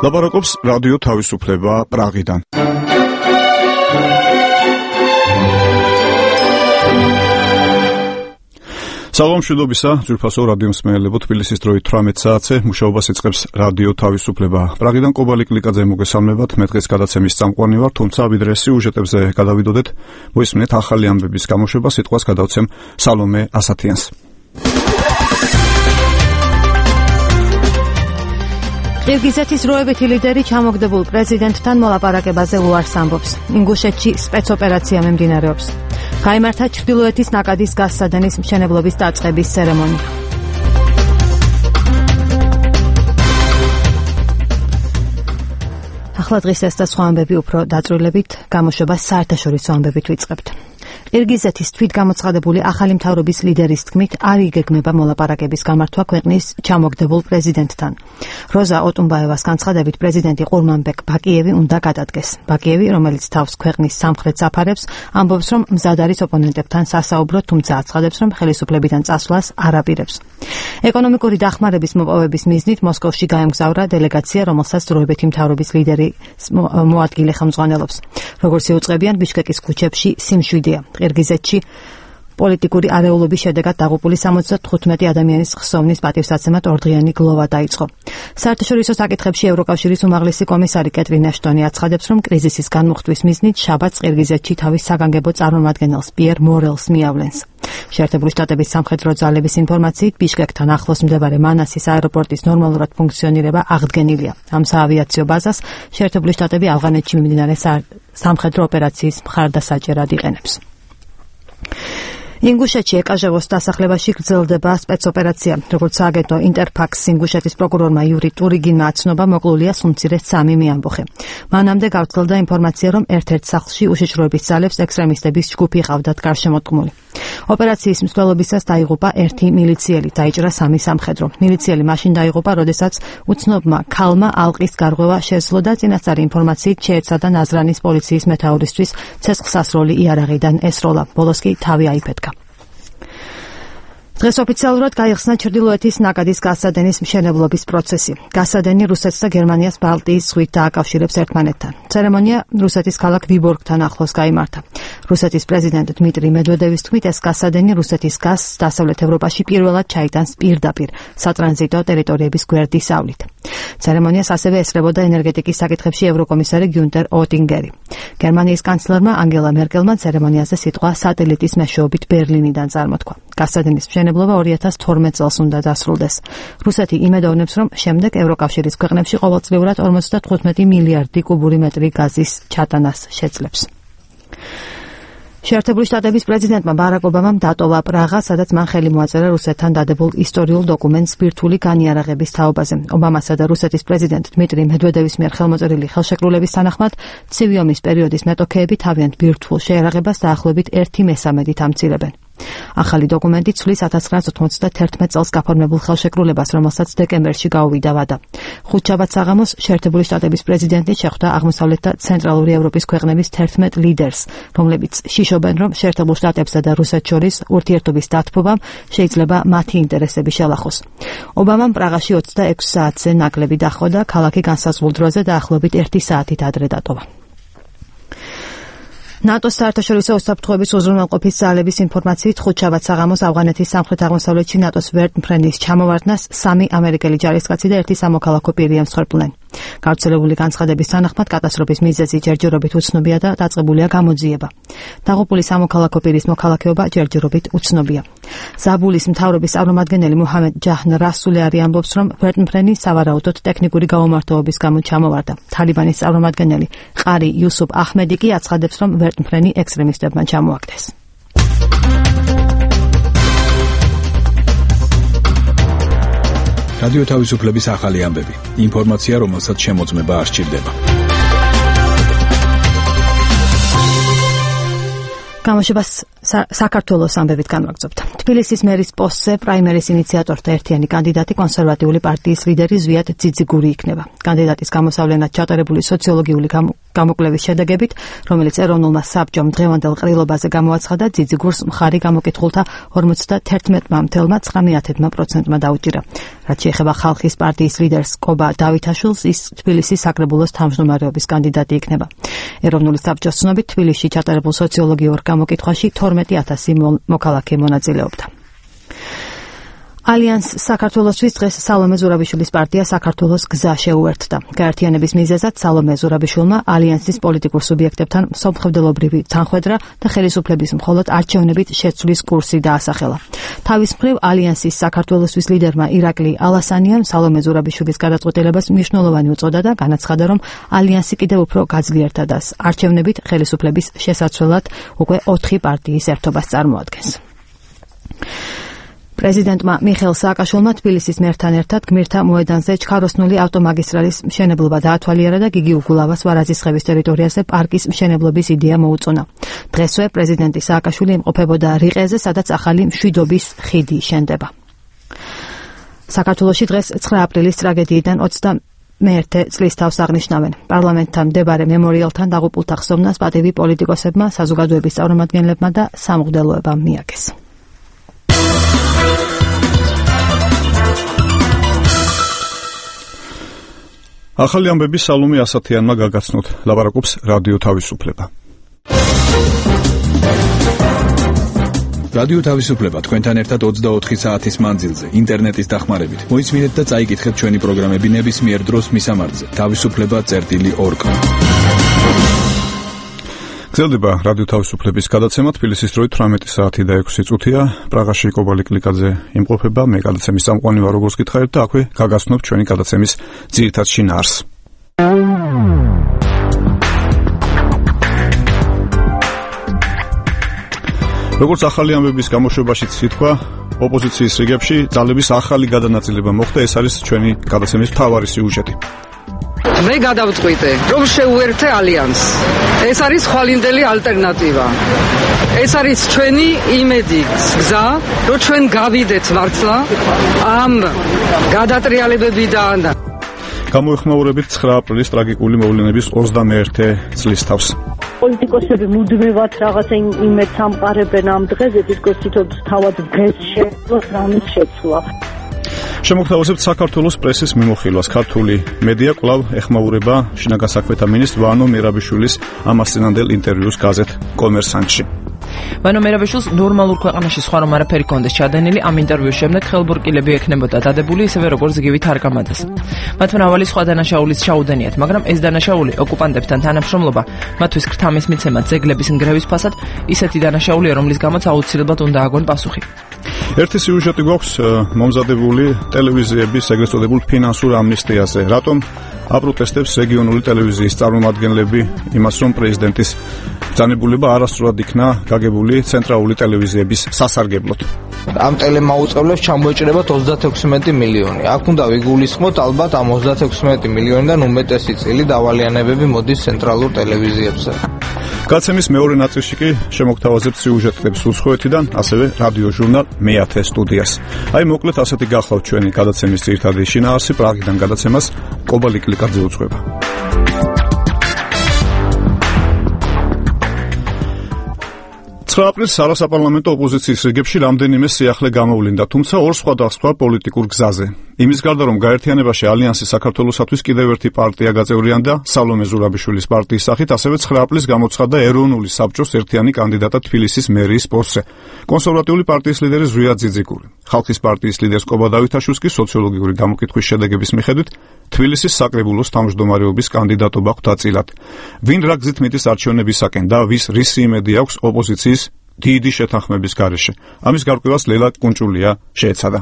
ლაპარაკობს რადიო თავისუფლება პრაღიდან. სალამ მშვიდობისა, ძვირფასო რადიო მსმენელებო, თბილისის დროით 18 საათზე მუშაობას იწყებს რადიო თავისუფლება. პრაღიდან კობალი კლიკაძე მოგესალმებათ, მე დღეს გადაცემის წამყვანი ვარ, თუმცა ვიდრე სიუჟეტებზე გადავიდოდეთ, მოისმინეთ ახალი ამბების გამოშვება, სიტყვას გადავცემ სალომე ასათიანს. ყირგიზეთის როებითი ლიდერი ჩამოგდებულ პრეზიდენტთან მოლაპარაკებაზე უარს ამბობს. ინგუშეთში სპეცოპერაცია მიმდინარეობს. გაიმართა ჩრდილოეთის ნაკადის გასცადენის მშენებლობის დაწყების ცერემონია. ახლა დღის ეს და სხვა ამბები უფრო დაწვრილებით გამოშვებას საერთაშორისო ამბებით ვიწყებთ. ყირგიზეთის თვითგამოცხადებული ახალი მთავრობის ლიდერის თქმით არ იგეგმება მოლაპარაკების გამართვა ქვეყნის ჩამოგდებულ პრეზიდენტთან. როზა ოტუნბაევას განცხადებით პრეზიდენტი ყურმანბეკ ბაკიევი უნდა გადადგეს. ბაკიევი, რომელიც თავს ქვეყნის სამხრეთს აფარებს, ამბობს, რომ მზად არის ოპონენტებთან სასაუბროდ, თუმცა აცხადებს, რომ ხელისუფლებიდან წასვლას არ აპირებს. ეკონომიკური დახმარების მოპოვების მიზნით მოსკოვში გაემგზავრა დელეგაცია, რომელსაც დროებითი მთავრობის ლიდერი მოადგილე ხელმძღვანელობს. როგორც იუწყებიან, ბიშკეკის ქუჩებში სიმშვიდეა. ყირგიზეთში პოლიტიკური არეულობის შედეგად დაღუპული 75 ადამიანის ხსოვნის პატივსაცემად ორდღიანი გლოვა დაიწყო. საერთაშორისო საკითხებში ევროკავშირის უმაღლესი კომისარი კეტრინ აშტონი აცხადებს, რომ კრიზისის განმუხტვის მიზნით შაბათს ყირგიზეთში თავის საგანგებო წარმომადგენელს პიერ მორელს მიავლენს. შეერთებული შტატების სამხედრო ძალების ინფორმაციით ბიშკეკთან ახლოს მდებარე მანასის აეროპორტის ნორმალურად ფუნქციონირება აღდგენილია. ამ საავიაციო ბაზას შეერთებული შტატები ავღანეთში მიმდინარე სამხედრო ოპერაციის მხარდასაჭერად იყენებს. ინგუშეთში ეკაჟევოს დასახლებაში გრძელდება სპეცოპერაცია. როგორც სააგენტო ინტერფაქს ინგუშეთის პროკურორმა იური ტურიგინმა აცნობა, მოკლულია სუმცირე 3 მეამბოხე. მანამდე გავრცელდა ინფორმაცია, რომ ერთ-ერთ სახლში უშიშროების ძალებს ექსტრემისტების ჯგუფი ყავდათ გარშემოდგმული. ოპერაციის მსვლელობისას დაიღუპა 1 მილიციელი, დაიჭრა 3 სამხედრო. მილიციელი მაშინ დაიღუპა, როდესაც უცნობმა ქალმა ალყის გარღვევა შეძლო და წინასწარი ინფორმაციით შეეცადა ნაზრანის პოლიციის მეთაურისთვის ცეცხლსასროლი იარაღიდან ესროლა. ბოლოს კი თავი აიფეთქა. დღეს ოფიციალურად გაიხსნა ჩრდილოეთის ნაკადის გასცადენის მშენებლობის პროცესი. გასცადენი რუსეთს და გერმანიას ბალტიის ზღვით დააკავშირებს ერთმანეთთან. ცერემონია რუსეთის ქალაქ ვიბორგთან ახლოს გაიმართა. რუსეთის პრეზიდენტ დმიტრი მედვედევის თქმით, ეს გასცადენი რუსეთის გაზს დასავლეთ ევროპაში პირველად ჩაიტანს პირდაპირ სატრანზიტო ტერიტორიების გვერდისავლით. ცერემონიას ასევე ესწრებოდა ენერგეტიკის საკითხებში ევროკომისარი გიუნტერ ოტინგერი. გერმანიის კანცლერმა ანგელა მერკელმა ცერემონიაზე სიტყვა სატელიტის მეშვეობით ბერლინიდან წარმოთქვა. გასცადენის მშენებლობა 2012 წელს უნდა დასრულდეს. რუსეთი იმედოვნებს, რომ შემდეგ ევროკავშირის ქვეყნებში ყოველწლიურად 55 მილიარდი კუბური მეტრი გაზის ჩატანას შეძლებს. შეერთებული შტატების პრეზიდენტმა ბარაკ ობამამ დატოვა პრაღა, სადაც მან ხელი მოაწერა რუსეთთან დადებულ ისტორიულ დოკუმენტს ბირთვული განიარაღების თაობაზე. ობამასა და რუსეთის პრეზიდენტ დმიტრი მედვედევის მიერ ხელმოწერილი ხელშეკრულების თანახმად, ცივი ომის პერიოდის მეტოქეები თავიანთ ბირთვულ შეიარაღებას დაახლოებით 1/3 ამცირებენ. ახალი დოკუმენტი ცვლის 1991 წელს გაფორმებულ ხელშეკრულებას, რომელსაც დეკემბერში გაუვიდა ვადა. ხუთშაბათ საღამოს შეერთებული შტატების პრეზიდენტი შეხვდა აღმოსავლეთ და ცენტრალური ევროპის ქვეყნების 11 ლიდერს, რომლებიც შიშობენ, რომ შეერთებულ შტატებსა და რუსეთს შორის ურთიერთობის დათბობამ შეიძლება მათი ინტერესები შელახოს. ობამამ პრაღაში 26 საათზე ნაკლები დაჰყო და ქალაქი განსაზღვრულ დროზე დაახლოებით 1 საათით ადრე დატოვა. ნატოს საერთაშორისო უსაფრთხოების უზრუნველყოფის ძალების ინფორმაციით ხუთშაბათ საღამოს ავღანეთის სამხრეთ-აღმოსავლეთში ნატოს ვერტმფრენის ჩამოვარდნას 3 ამერიკელი ჯარისკაცი და 1 სამოქალაქო პირი ემსხვერპლნენ. გავრცელებული განცხადების თანახმად კატასტროფის მიზეზი ჯერჯერობით უცნობია და დაწყებულია გამოძიება. დაღუპული სამოქალაქო პირის მოქალაქეობა ჯერჯერობით უცნობია. ზაბულის მთავრობის წარმომადგენელი მუჰამედ ჯაჰნ რასულე ამბობს, რომ ვერტმფრენი სავარაუდოდ ტექნიკური გაუმართლობების გამო ჩამოვარდა. თალიბანის წარმომადგენელი ყარი იუსუფ აჰმედი კი აცხადებს, რომ ვერტმფრენი ექსტრემისტებმა ჩამოაგდეს. რადიო თავისუფლების ახალი ამბები. ინფორმაცია, რომელსაც შემოწმება არ სჭირდება. გამოშვებას საქართველოს ამბებით განვაგრძობთ. თბილისის მერის პოსტზე პრაიმერის ინიციატორთა ერთიანი კანდიდატი კონსერვატიული პარტიის ლიდერი ზვიად ძიძიგური იქნება. კანდიდატის გამოსავლენად ჩატარებული სოციოლოგიური გამოკვლევის შედეგებით, რომელიც ეროვნულმა საბჭომ დღევანდელ ყრილობაზე გამოაცხადა, ძიძიგურს მხარი გამოკითხულთა 51,9%-მა დაუჭირა. რაც შეეხება ხალხის პარტიის ლიდერს კობა დავითაშვილს, ის თბილისის საკრებულოს თავმჯდომარეობის კანდიდატი იქნება. ეროვნული საბჭოს ცნობით, თბილისში ჩატარებულ სოციოლოგიურ გამოკითხვაში 12,000 მოქალაქე მონაწილეობდა. ალიანს საქართველოსთვის დღეს სალომე ზურაბიშვილის პარტია საქართველოს გზა შეუერთდა. გაერთიანების მიზეზად სალომე ზურაბიშვილმა ალიანსის პოლიტიკურ სუბიექტებთან მსოფლმხედველობრივი თანხმედრა და ხელისუფლების მხოლოდ არჩევნებით შეცვლის კურსი დაასახელა. თავის მხრივ ალიანსის საქართველოსთვის ლიდერმა ირაკლი ალასანიამ სალომე ზურაბიშვილის გადაწყვეტილებას მნიშვნელოვანი უწოდა და განაცხადა, რომ ალიანსი კიდევ უფრო გაძლიერდა და არჩევნებით ხელისუფლების შესაცვლელად უკვე 4 პარტიის ერთობას წარმოადგენს. პრეზიდენტმა მიხეილ სააკაშვილმა თბილისის მერთან ერთად გმირთა მოედანზე ჩქაროსნული ავტომაგისტრალის მშენებლობა დაათვალიერა და გიგი უგულავას ვარაძისხევის ტერიტორიაზე პარკის მშენებლობის იდეა მოუწონა. დღესვე პრეზიდენტი სააკაშვილი იმყოფებოდა რიყეზე, სადაც ახალი მშვიდობის ხიდი შენდება. საქართველოში დღეს 9 აპრილის ტრაგედიიდან 21 წლის თავს აღნიშნავენ. პარლამენტთან მდებარე მემორიალთან დაღუპულთა ხსოვნას პატივი პოლიტიკოსებმა, საზოგადოების წარმომადგენლებმა და სამღვდელოებამ მიაგეს. ახალი ამბები სალომე ასათიანმა გაგაცნოთ, ლაპარაკობს რადიო თავისუფლება. რადიო თავისუფლება თქვენთან ერთად 24 საათის მანძილზე, ინტერნეტის დახმარებით. მოისმინეთ და წაიკითხეთ ჩვენი პროგრამები ნებისმიერ დროს მისამართზე. თავისუფლება.org. გრძელდება რადიო თავისუფლების გადაცემა, თბილისის დროით 18 საათი და 6 წუთია. პრაღაში კობალი კლიკაძე იმყოფება, მე გადაცემის წამყვანი ვარ, როგორც გითხარით, და აქვე გაგაცნობ ჩვენი გადაცემის ძირითად შინაარსს. როგორც ახალი ამბების გამოშვებაშიც ითქვა, ოპოზიციის რიგებში ძალების ახალი გადანაწილება მოხდა, ეს არის ჩვენი გადაცემის მთავარი სიუჟეტი. მე გადავწყვიტე, რომ შევუერთე ალიანსს. ეს არის ხვალინდელი ალტერნატივა. ეს არის ჩვენი იმედი, გზა, რომ ჩვენ გავიდეთ მართლა ამ გადატრიალებებიდან. გამოეხმაურებით 9 აპრილის ტრაგიკული მოვლენების 21 წლის თავს. პოლიტიკოსები მუდმივად რაღაცა იმედს ამყარებენ ამ დღეზე, თითქოს თავად დღეს შეძლოს რამის შეცვლა. შემოგთავაზებთ საქართველოს პრესის მიმოხილვას. ქართული მედია კვლავ ეხმაურება შინაგან საქმეთა მინისტრ ვანო მერაბიშვილის ამას წინანდელ ინტერვიუს გაზეთ კომერსანტში. ვანო მერაბიშვილს ნორმალურ ქვეყანაში სხვა რომ არაფერი კონდეს ჩადენილი, ამ ინტერვიუს შემდეგ ხელბურკილები ექნებოდა დადებული, ისევე როგორც გივით არ გამადეს. მათ მრავალი სხვა დანაშაულის ჩაუდენიათ, მაგრამ ეს დანაშაული ოკუპანტებთან თანამშრომლობა, მათთვის ქრთამის მიცემა, ძეგლების ნგრევის ფასად, ისეთი დანაშაულია, რომლის გამოც აუცილებლად უნდა აგონ პასუხი. ერთი სიუჟეტი გვაქვს მომზადებული ტელევიზიების ეგრეთ წოდებულ ფინანსურ ამნისტიაზე. რატომ აპროტესტებს რეგიონული ტელევიზიის წარმომადგენლები იმას, რომ პრეზიდენტის ბრძანებულება არასწორად იქნა გაგებული ცენტრალური ტელევიზიების სასარგებლოდ? ამ ტელემაუწყებლებს ჩამოეჭრებათ 36 მილიონი. აქ უნდა ვიგულისხმოთ, ალბათ ამ 36 მილიონიდან უმეტესი წილი დავალიანებები მოდის ცენტრალურ ტელევიზიებზე. გაცემის მეორე ნაწილში კი შემოგთავაზებთ სიუჟეტებს უცხოეთიდან, ასევე რადიო ჟურნალ მე-10 სტუდიას. აი მოკლედ ასეთი გახლავთ ჩვენი გადაცემის ძირითადი შინაარსი. პრაღიდან გადაცემას კობალი კლიკაძე უძღვება. 9 აპრილს არასაპარლამენტო ოპოზიციის რიგებში რამდენიმე სიახლე გამოვლინდა, თუმცა ორ სხვადასხვა პოლიტიკურ გზაზე. იმის გარდა, რომ გაერთიანებაში ალიანსი საქართველოსათვის კიდევ ერთი პარტია გაწევრიანდა სალომე ზურაბიშვილის პარტიის სახით, ასევე 9 აპრილს გამოცხადდა ეროვნული საბჭოს ერთიანი კანდიდატად თბილისის მერიის პოსტზე. კონსერვატიული პარტიის ლიდერი ზვიად ძიძიგური. ხალხის პარტიის ლიდერს კობა დავითაშვილს კი სოციოლოგიური გამოკითხვის შედეგების მიხედვით თბილისის საკრებულოს თავმჯდომარეობის კანდიდატობა ხვდა წილად. ვინ რა გზით მიდის არჩევნებისაკენ და რის იმედი აქვს ოპოზიციის დიდი შეთანხმების გარეშე? ამის გარკვევას ლელა კუნჭულია შეეცადა.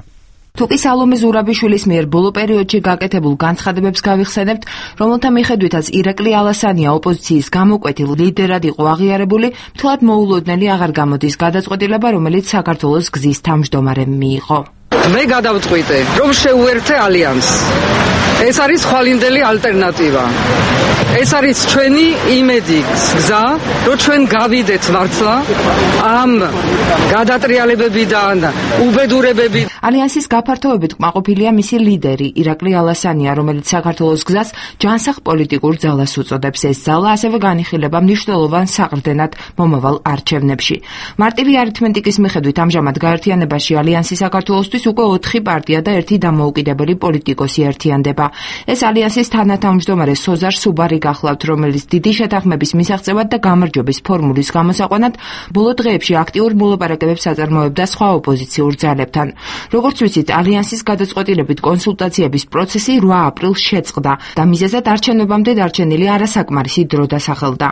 თუკი სალომე ზურაბიშვილის მიერ ბოლო პერიოდში გაკეთებულ განცხადებებს გავიხსენებთ, რომელთა მიხედვითაც ირაკლი ალასანია ოპოზიციის გამოკვეთილ ლიდერად იყო აღიარებული, მთლად მოულოდნელი აღარ გამოდის გადაწყვეტილება, რომელიც საქართველოს გზის თავმჯდომარემ მიიღო. მე გადავწყვიტე, რომ შევუერთე ალიანსს. ეს არის ხვალინდელი ალტერნატივა. ეს არის ჩვენი იმედი, გზა, რომ ჩვენ გავიდეთ მართლა ამ გადატრიალებებიდან, უბედურებები. ალიანსის გაფართოებით კმაყოფილია მისი ლიდერი ირაკლი ალასანია, რომელიც საქართველოს გზას ჯანსაღ პოლიტიკურ ძალას უწოდებს. ეს ძალა ასევე განიხილება მნიშვნელოვან საყრდენად მომავალ არჩევნებში. მარტივი არითმეტიკის მიხედვით ამჟამად გაერთიანებაში ალიანსი საქართველოსთვის უკვე 4 პარტია და 1 დამოუკიდებელი პოლიტიკოსი ერთიანდება. ეს ალიანსის თანათავმჯდომარე სოზარ სუბარი გახლავთ, რომელიც დიდი შეთანხმების მისაღწევად და გამარჯვების ფორმულის გამოსაყვანად ბოლო დღეებში აქტიურ მოლაპარაკებებს აწარმოებდა სხვა ოპოზიციურ ძალებთან. როგორც ვიცით, ალიანსის გადაწყვეტილებით კონსულტაციების პროცესი 8 აპრილს შეწყდა და მიზეზად არჩევნებამდე დარჩენილი არასაკმარისი დრო დასახელდა.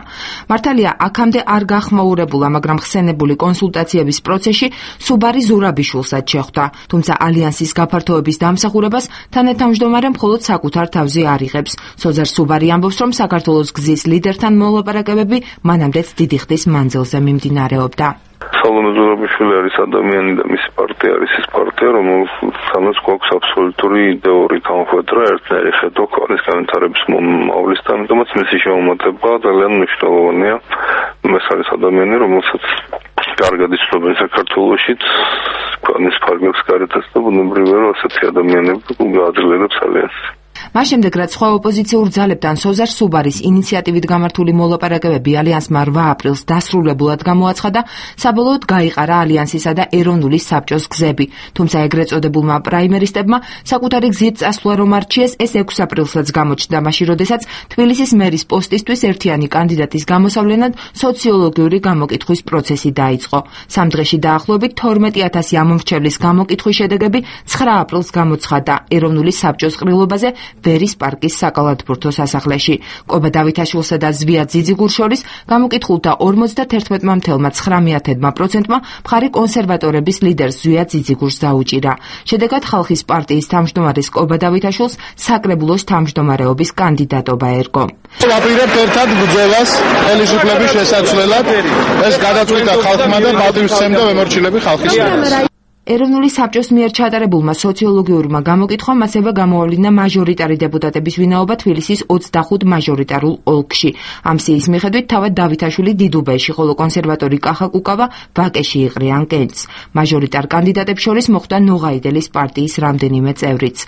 მართალია, აქამდე არ გახმაურებულა, მაგრამ ხსენებული კონსულტაციების პროცესში სუბარი ზურაბიშვილსაც შეხვდა. თუმცა ალიანსის გაფართოების დამსახურებას თანათავმჯდომარე მხოლოდ საკუთარ თავზე არ იღებს. სოზარ სუბარი ამბობს, რომ საქართველოს გზის ლიდერთან მოლაპარაკებები მანამდეც დიდი ხნის მანძილზე მიმდინარეობდა. სალომე ზურაბიშვილი არის ადამიანი და მისი პარტია არის ის პარტია, რომელთანაც გვაქვს აბსოლუტური იდეური გამოხვედრა, ერთნაირი ხედვა ქვეყნის განვითარების მოვლისთან, ამიტომაც მისი შემომატება ძალიან მნიშვნელოვანია. ეს არის ადამიანი, რომელსაც კარგად იცნობენ საქართველოშიც, ქვეყნის ფარგლებს გარეთაც და ბუნებრივია, რომ ასეთი ადამიანები გააძლიერებს ალიანსს. მას შემდეგ, რაც სხვა ოპოზიციურ ძალებთან სოზარ სუბარის ინიციატივით გამართული მოლაპარაკებები ალიანსმა 8 აპრილს დასრულებულად გამოაცხადა, საბოლოოდ გაიყარა ალიანსისა და ეროვნული საბჭოს გზები. თუმცა ეგრეთ წოდებულმა პრაიმერისტებმა საკუთარი გზით წასვლა რომ არჩიეს, ეს 6 აპრილსაც გამოჩნდა, მაშინ როდესაც თბილისის მერის პოსტისთვის ერთიანი კანდიდატის გამოსავლენად სოციოლოგიური გამოკითხვის პროცესი დაიწყო. 3 დღეში დაახლოებით 12,000 ამომრჩევლის გამოკითხვის შედეგები 9 აპრილს გამოცხადდა ეროვნული საბჭოს ყრილობაზე ბერის პარკის საკალათბურთო სასახლეში. კობა დავითაშვილსა და ზვია ძიძიგურს შორის გამოკითხულთა 51,9%-მა მხარი კონსერვატორების ლიდერს ზვია ძიძიგურს დაუჭირა. შედეგად ხალხის პარტიის თავმჯდომარეს კობა დავითაშვილს საკრებულოს თავმჯდომარეობის კანდიდატობა ერგო. ვაპირებთ ერთად ბრძოლას ხელისუფლების შესაცვლელად. ეს გადაწყვიტა ხალხმა და პატივისცემდა მემორჩილები ხალხის მიერ. ეროვნული საბჭოს მიერ ჩატარებულმა სოციოლოგიურმა გამოკითხვამ ასევე გამოავლინა მაჟორიტარი დეპუტატების ვინაობა თბილისის 25 მაჟორიტარულ ოლქში. ამ სიის მიხედვით თავად დავითაშვილი დიდუბეში, ხოლო კონსერვატორი კახა კუკავა ვაკეში იყრიან კენჭს. მაჟორიტარ კანდიდატებს შორის მოხვდა ნოღაიდელის პარტიის რამდენიმე წევრიც.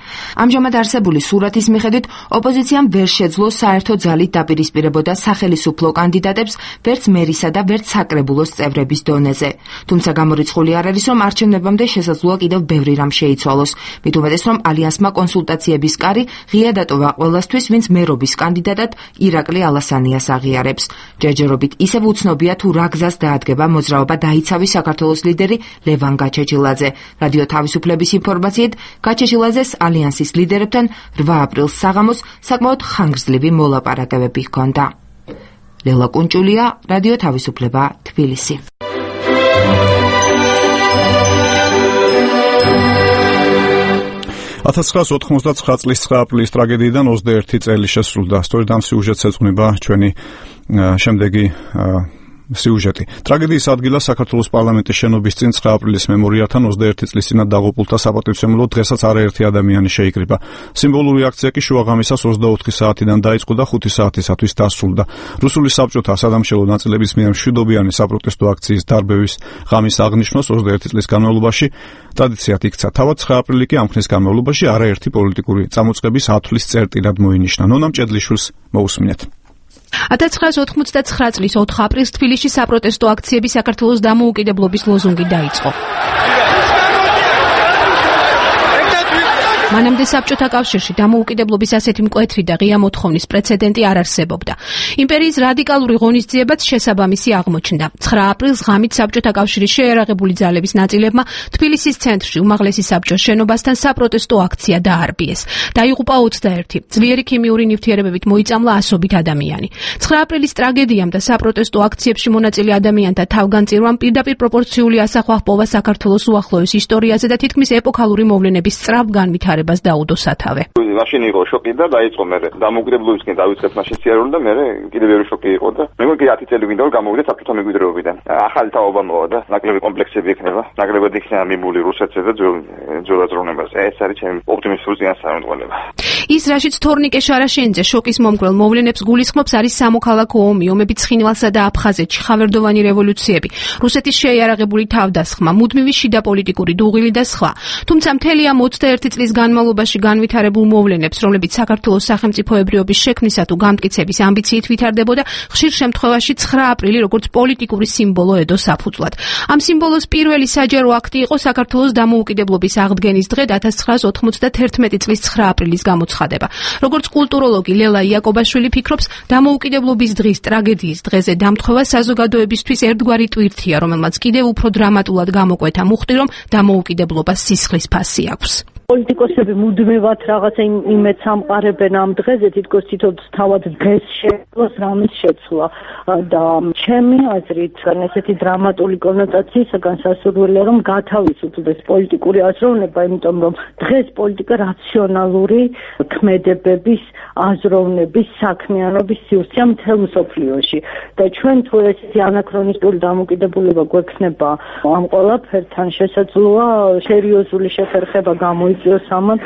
ამჟამად არსებული სურათის მიხედვით ოპოზიციამ ვერ შეძლო საერთო ძალით დაპირისპირებოდა სახელისუფლო კანდიდატებს ვერც მერისა და ვერც საკრებულოს წევრების დონეზე. თუმცა გამორიცხული არ არის, რომ არჩევნებამდე შესაძლოა კიდევ ბევრი რამ შეიცვალოს. მით უმეტეს, რომ ალიანსმა კონსულტაციების კარი ღია დატოვა ყველასთვის, ვინც მერობის კანდიდატად ირაკლი ალასანიას აღიარებს. ჯერჯერობით ისევ უცნობია თუ რა გზას დაადგება მოძრაობა დაიცავი საქართველოს ლიდერი ლევან გაჩეჩილაძე. რადიო თავისუფლების ინფორმაციით, გაჩეჩილაძეს ალიანსის ლიდერებთან 8 აპრილს საღამოს საკმაოდ ხანგრძლივი მოლაპარაკებები ჰქონდა. ლელა კუნჭულია, რადიო თავისუფლება, თბილისი. 1999 წლის 9 აპრილის ტრაგედიიდან 21 წელი შესრულდა. სწორედ ამ სიუჟეტს ეძღვნება ჩვენი შემდეგი სიუჟეტი. ტრაგედიის ადგილას საქართველოს პარლამენტის შენობის წინ 9 აპრილის მემორიალთან 21 წლის წინათ დაღუპულთა საპატივცემულოდ დღესაც არაერთი ადამიანი შეიკრიბა. სიმბოლური აქცია კი შუაღამისას 24 საათიდან დაიწყო და 5 საათისათვის დასრულდა. რუსული საბჭოთა სადამშელო ნაწილების მიერ მშვიდობიანი საპროტესტო აქციის დარბევის ღამის აღნიშვნას 21 წლის განმავლობაში ტრადიციად იქცა. თავად 9 აპრილი კი ამ ხნის განმავლობაში არაერთი პოლიტიკური წამოწყების ათვლის წერტილად მოინიშნა. ნონა მჭედლიშვილს მოусმინეთ. 1999 წლის 4 აპრილს თბილისში საპროტესტო აქციები საქართველოს დამოუკიდებლობის ლოზუნგით დაიწყო. მანამდე საბჭოთა კავშირში დამოუკიდებლობის ასეთი მკვეთრი და ღია მოთხოვნის პრეცედენტი არ არსებობდა. იმპერიის რადიკალური ღონისძიებაც შესაბამისი აღმოჩნდა. 9 აპრილს ღამით საბჭოთა კავშირის შეერაღებული ძალების ნაწილებმა თბილისის ცენტრში უმაღლესი საბჭოს შენობასთან საპროტესტო აქცია დაარბიეს. დაიღუპა 21. ძლიერი ქიმიური ნივთიერებებით მოიწამლა ასობით ადამიანი. 9 აპრილის ტრაგედიამ და საპროტესტო აქციებში მონაწილე ადამიანთა თავგანწირვამ პირდაპირ პროპორციული ასახვა ჰპოვა საქართველოს უახლოეს ისტორიაზე და თითქმის ეპოქალური მოვლენების სწრაფ განვითარებას დაუდო სათავე. მაშინ იყო შოკი და დაიწყო მე დამოუკიდებლობისკენ დავიწყეთ მაშინ სიარული და მე კიდევ ბევრი შოკი იყო და მე მგონი 10 წელი ვინდა რომ გამოვიდეთ საბჭოთა მემკვიდრეობიდან. ახალი თაობა მოვა და ნაკლები კომპლექსები ექნება. ნაკლებად იქნება მიმული რუსეთზე და ძველ აზროვნებაზე. ეს არის ჩემი ოპტიმისტური წინასწარმეტყველება. ის, რაშიც თორნიკე შარაშენიძე შოკის მომგვრელ მოვლენებს გულისხმობს, არის სამოქალაქო ომი, ომები ცხინვალსა და აფხაზეთში, ხავერდოვანი რევოლუციები, რუსეთის შეიარაღებული თავდასხმა, მუდმივი შიდა პოლიტიკური დუღილი და სხვა. თუმცა მთელი ამ 21 წლის განმავლობაში განვითარებულ მოვლენებს, რომლებიც საქართველოს სახელმწიფოებრიობის შექმნისა თუ გამტკიცების ამბიციით ვითარდებოდა, ხშირ შემთხვევაში 9 აპრილი როგორც პოლიტიკური სიმბოლო ედო საფუძვლად. ამ სიმბოლოს პირველი საჯარო აქტი იყო საქართველოს დამოუკიდებლობის აღდგენის დღე 1991 წლის 9 აპრილის გამოცხადება. როგორც კულტუროლოგი ლელა იაკობაშვილი ფიქრობს, დამოუკიდებლობის დღის ტრაგედიის დღეზე დამთხოვა საზოგადოებისთვის ერთგვარი ტვირთია, რომელმაც კიდევ უფრო დრამატულად გამოკვეთა მუხტი, რომ დამოუკიდებლობას სისხლის ფასი აქვს. პოლიტიკოსები მუდმივად რაღაცა იმედს ამყარებენ ამ დღეზე, თითქოს თვითონ თავად დღეს შეძლოს რამის შეცვლა და ჩემი აზრით ესეთი დრამატული კონოტაციისაგან სასურველია, რომ გათავისუფლდეს პოლიტიკური აზროვნება, იმიტომ რომ დღეს პოლიტიკა რაციონალური ქმედებების, აზროვნების, საქმიანობის სივრცეა მთელ მსოფლიოში და ჩვენ თუ ესეთი ანაქრონისტული დამოკიდებულება გვექნება ამ ყველაფერთან, შესაძლოა სერიოზული შეფერხება გამოიწვიოს ამან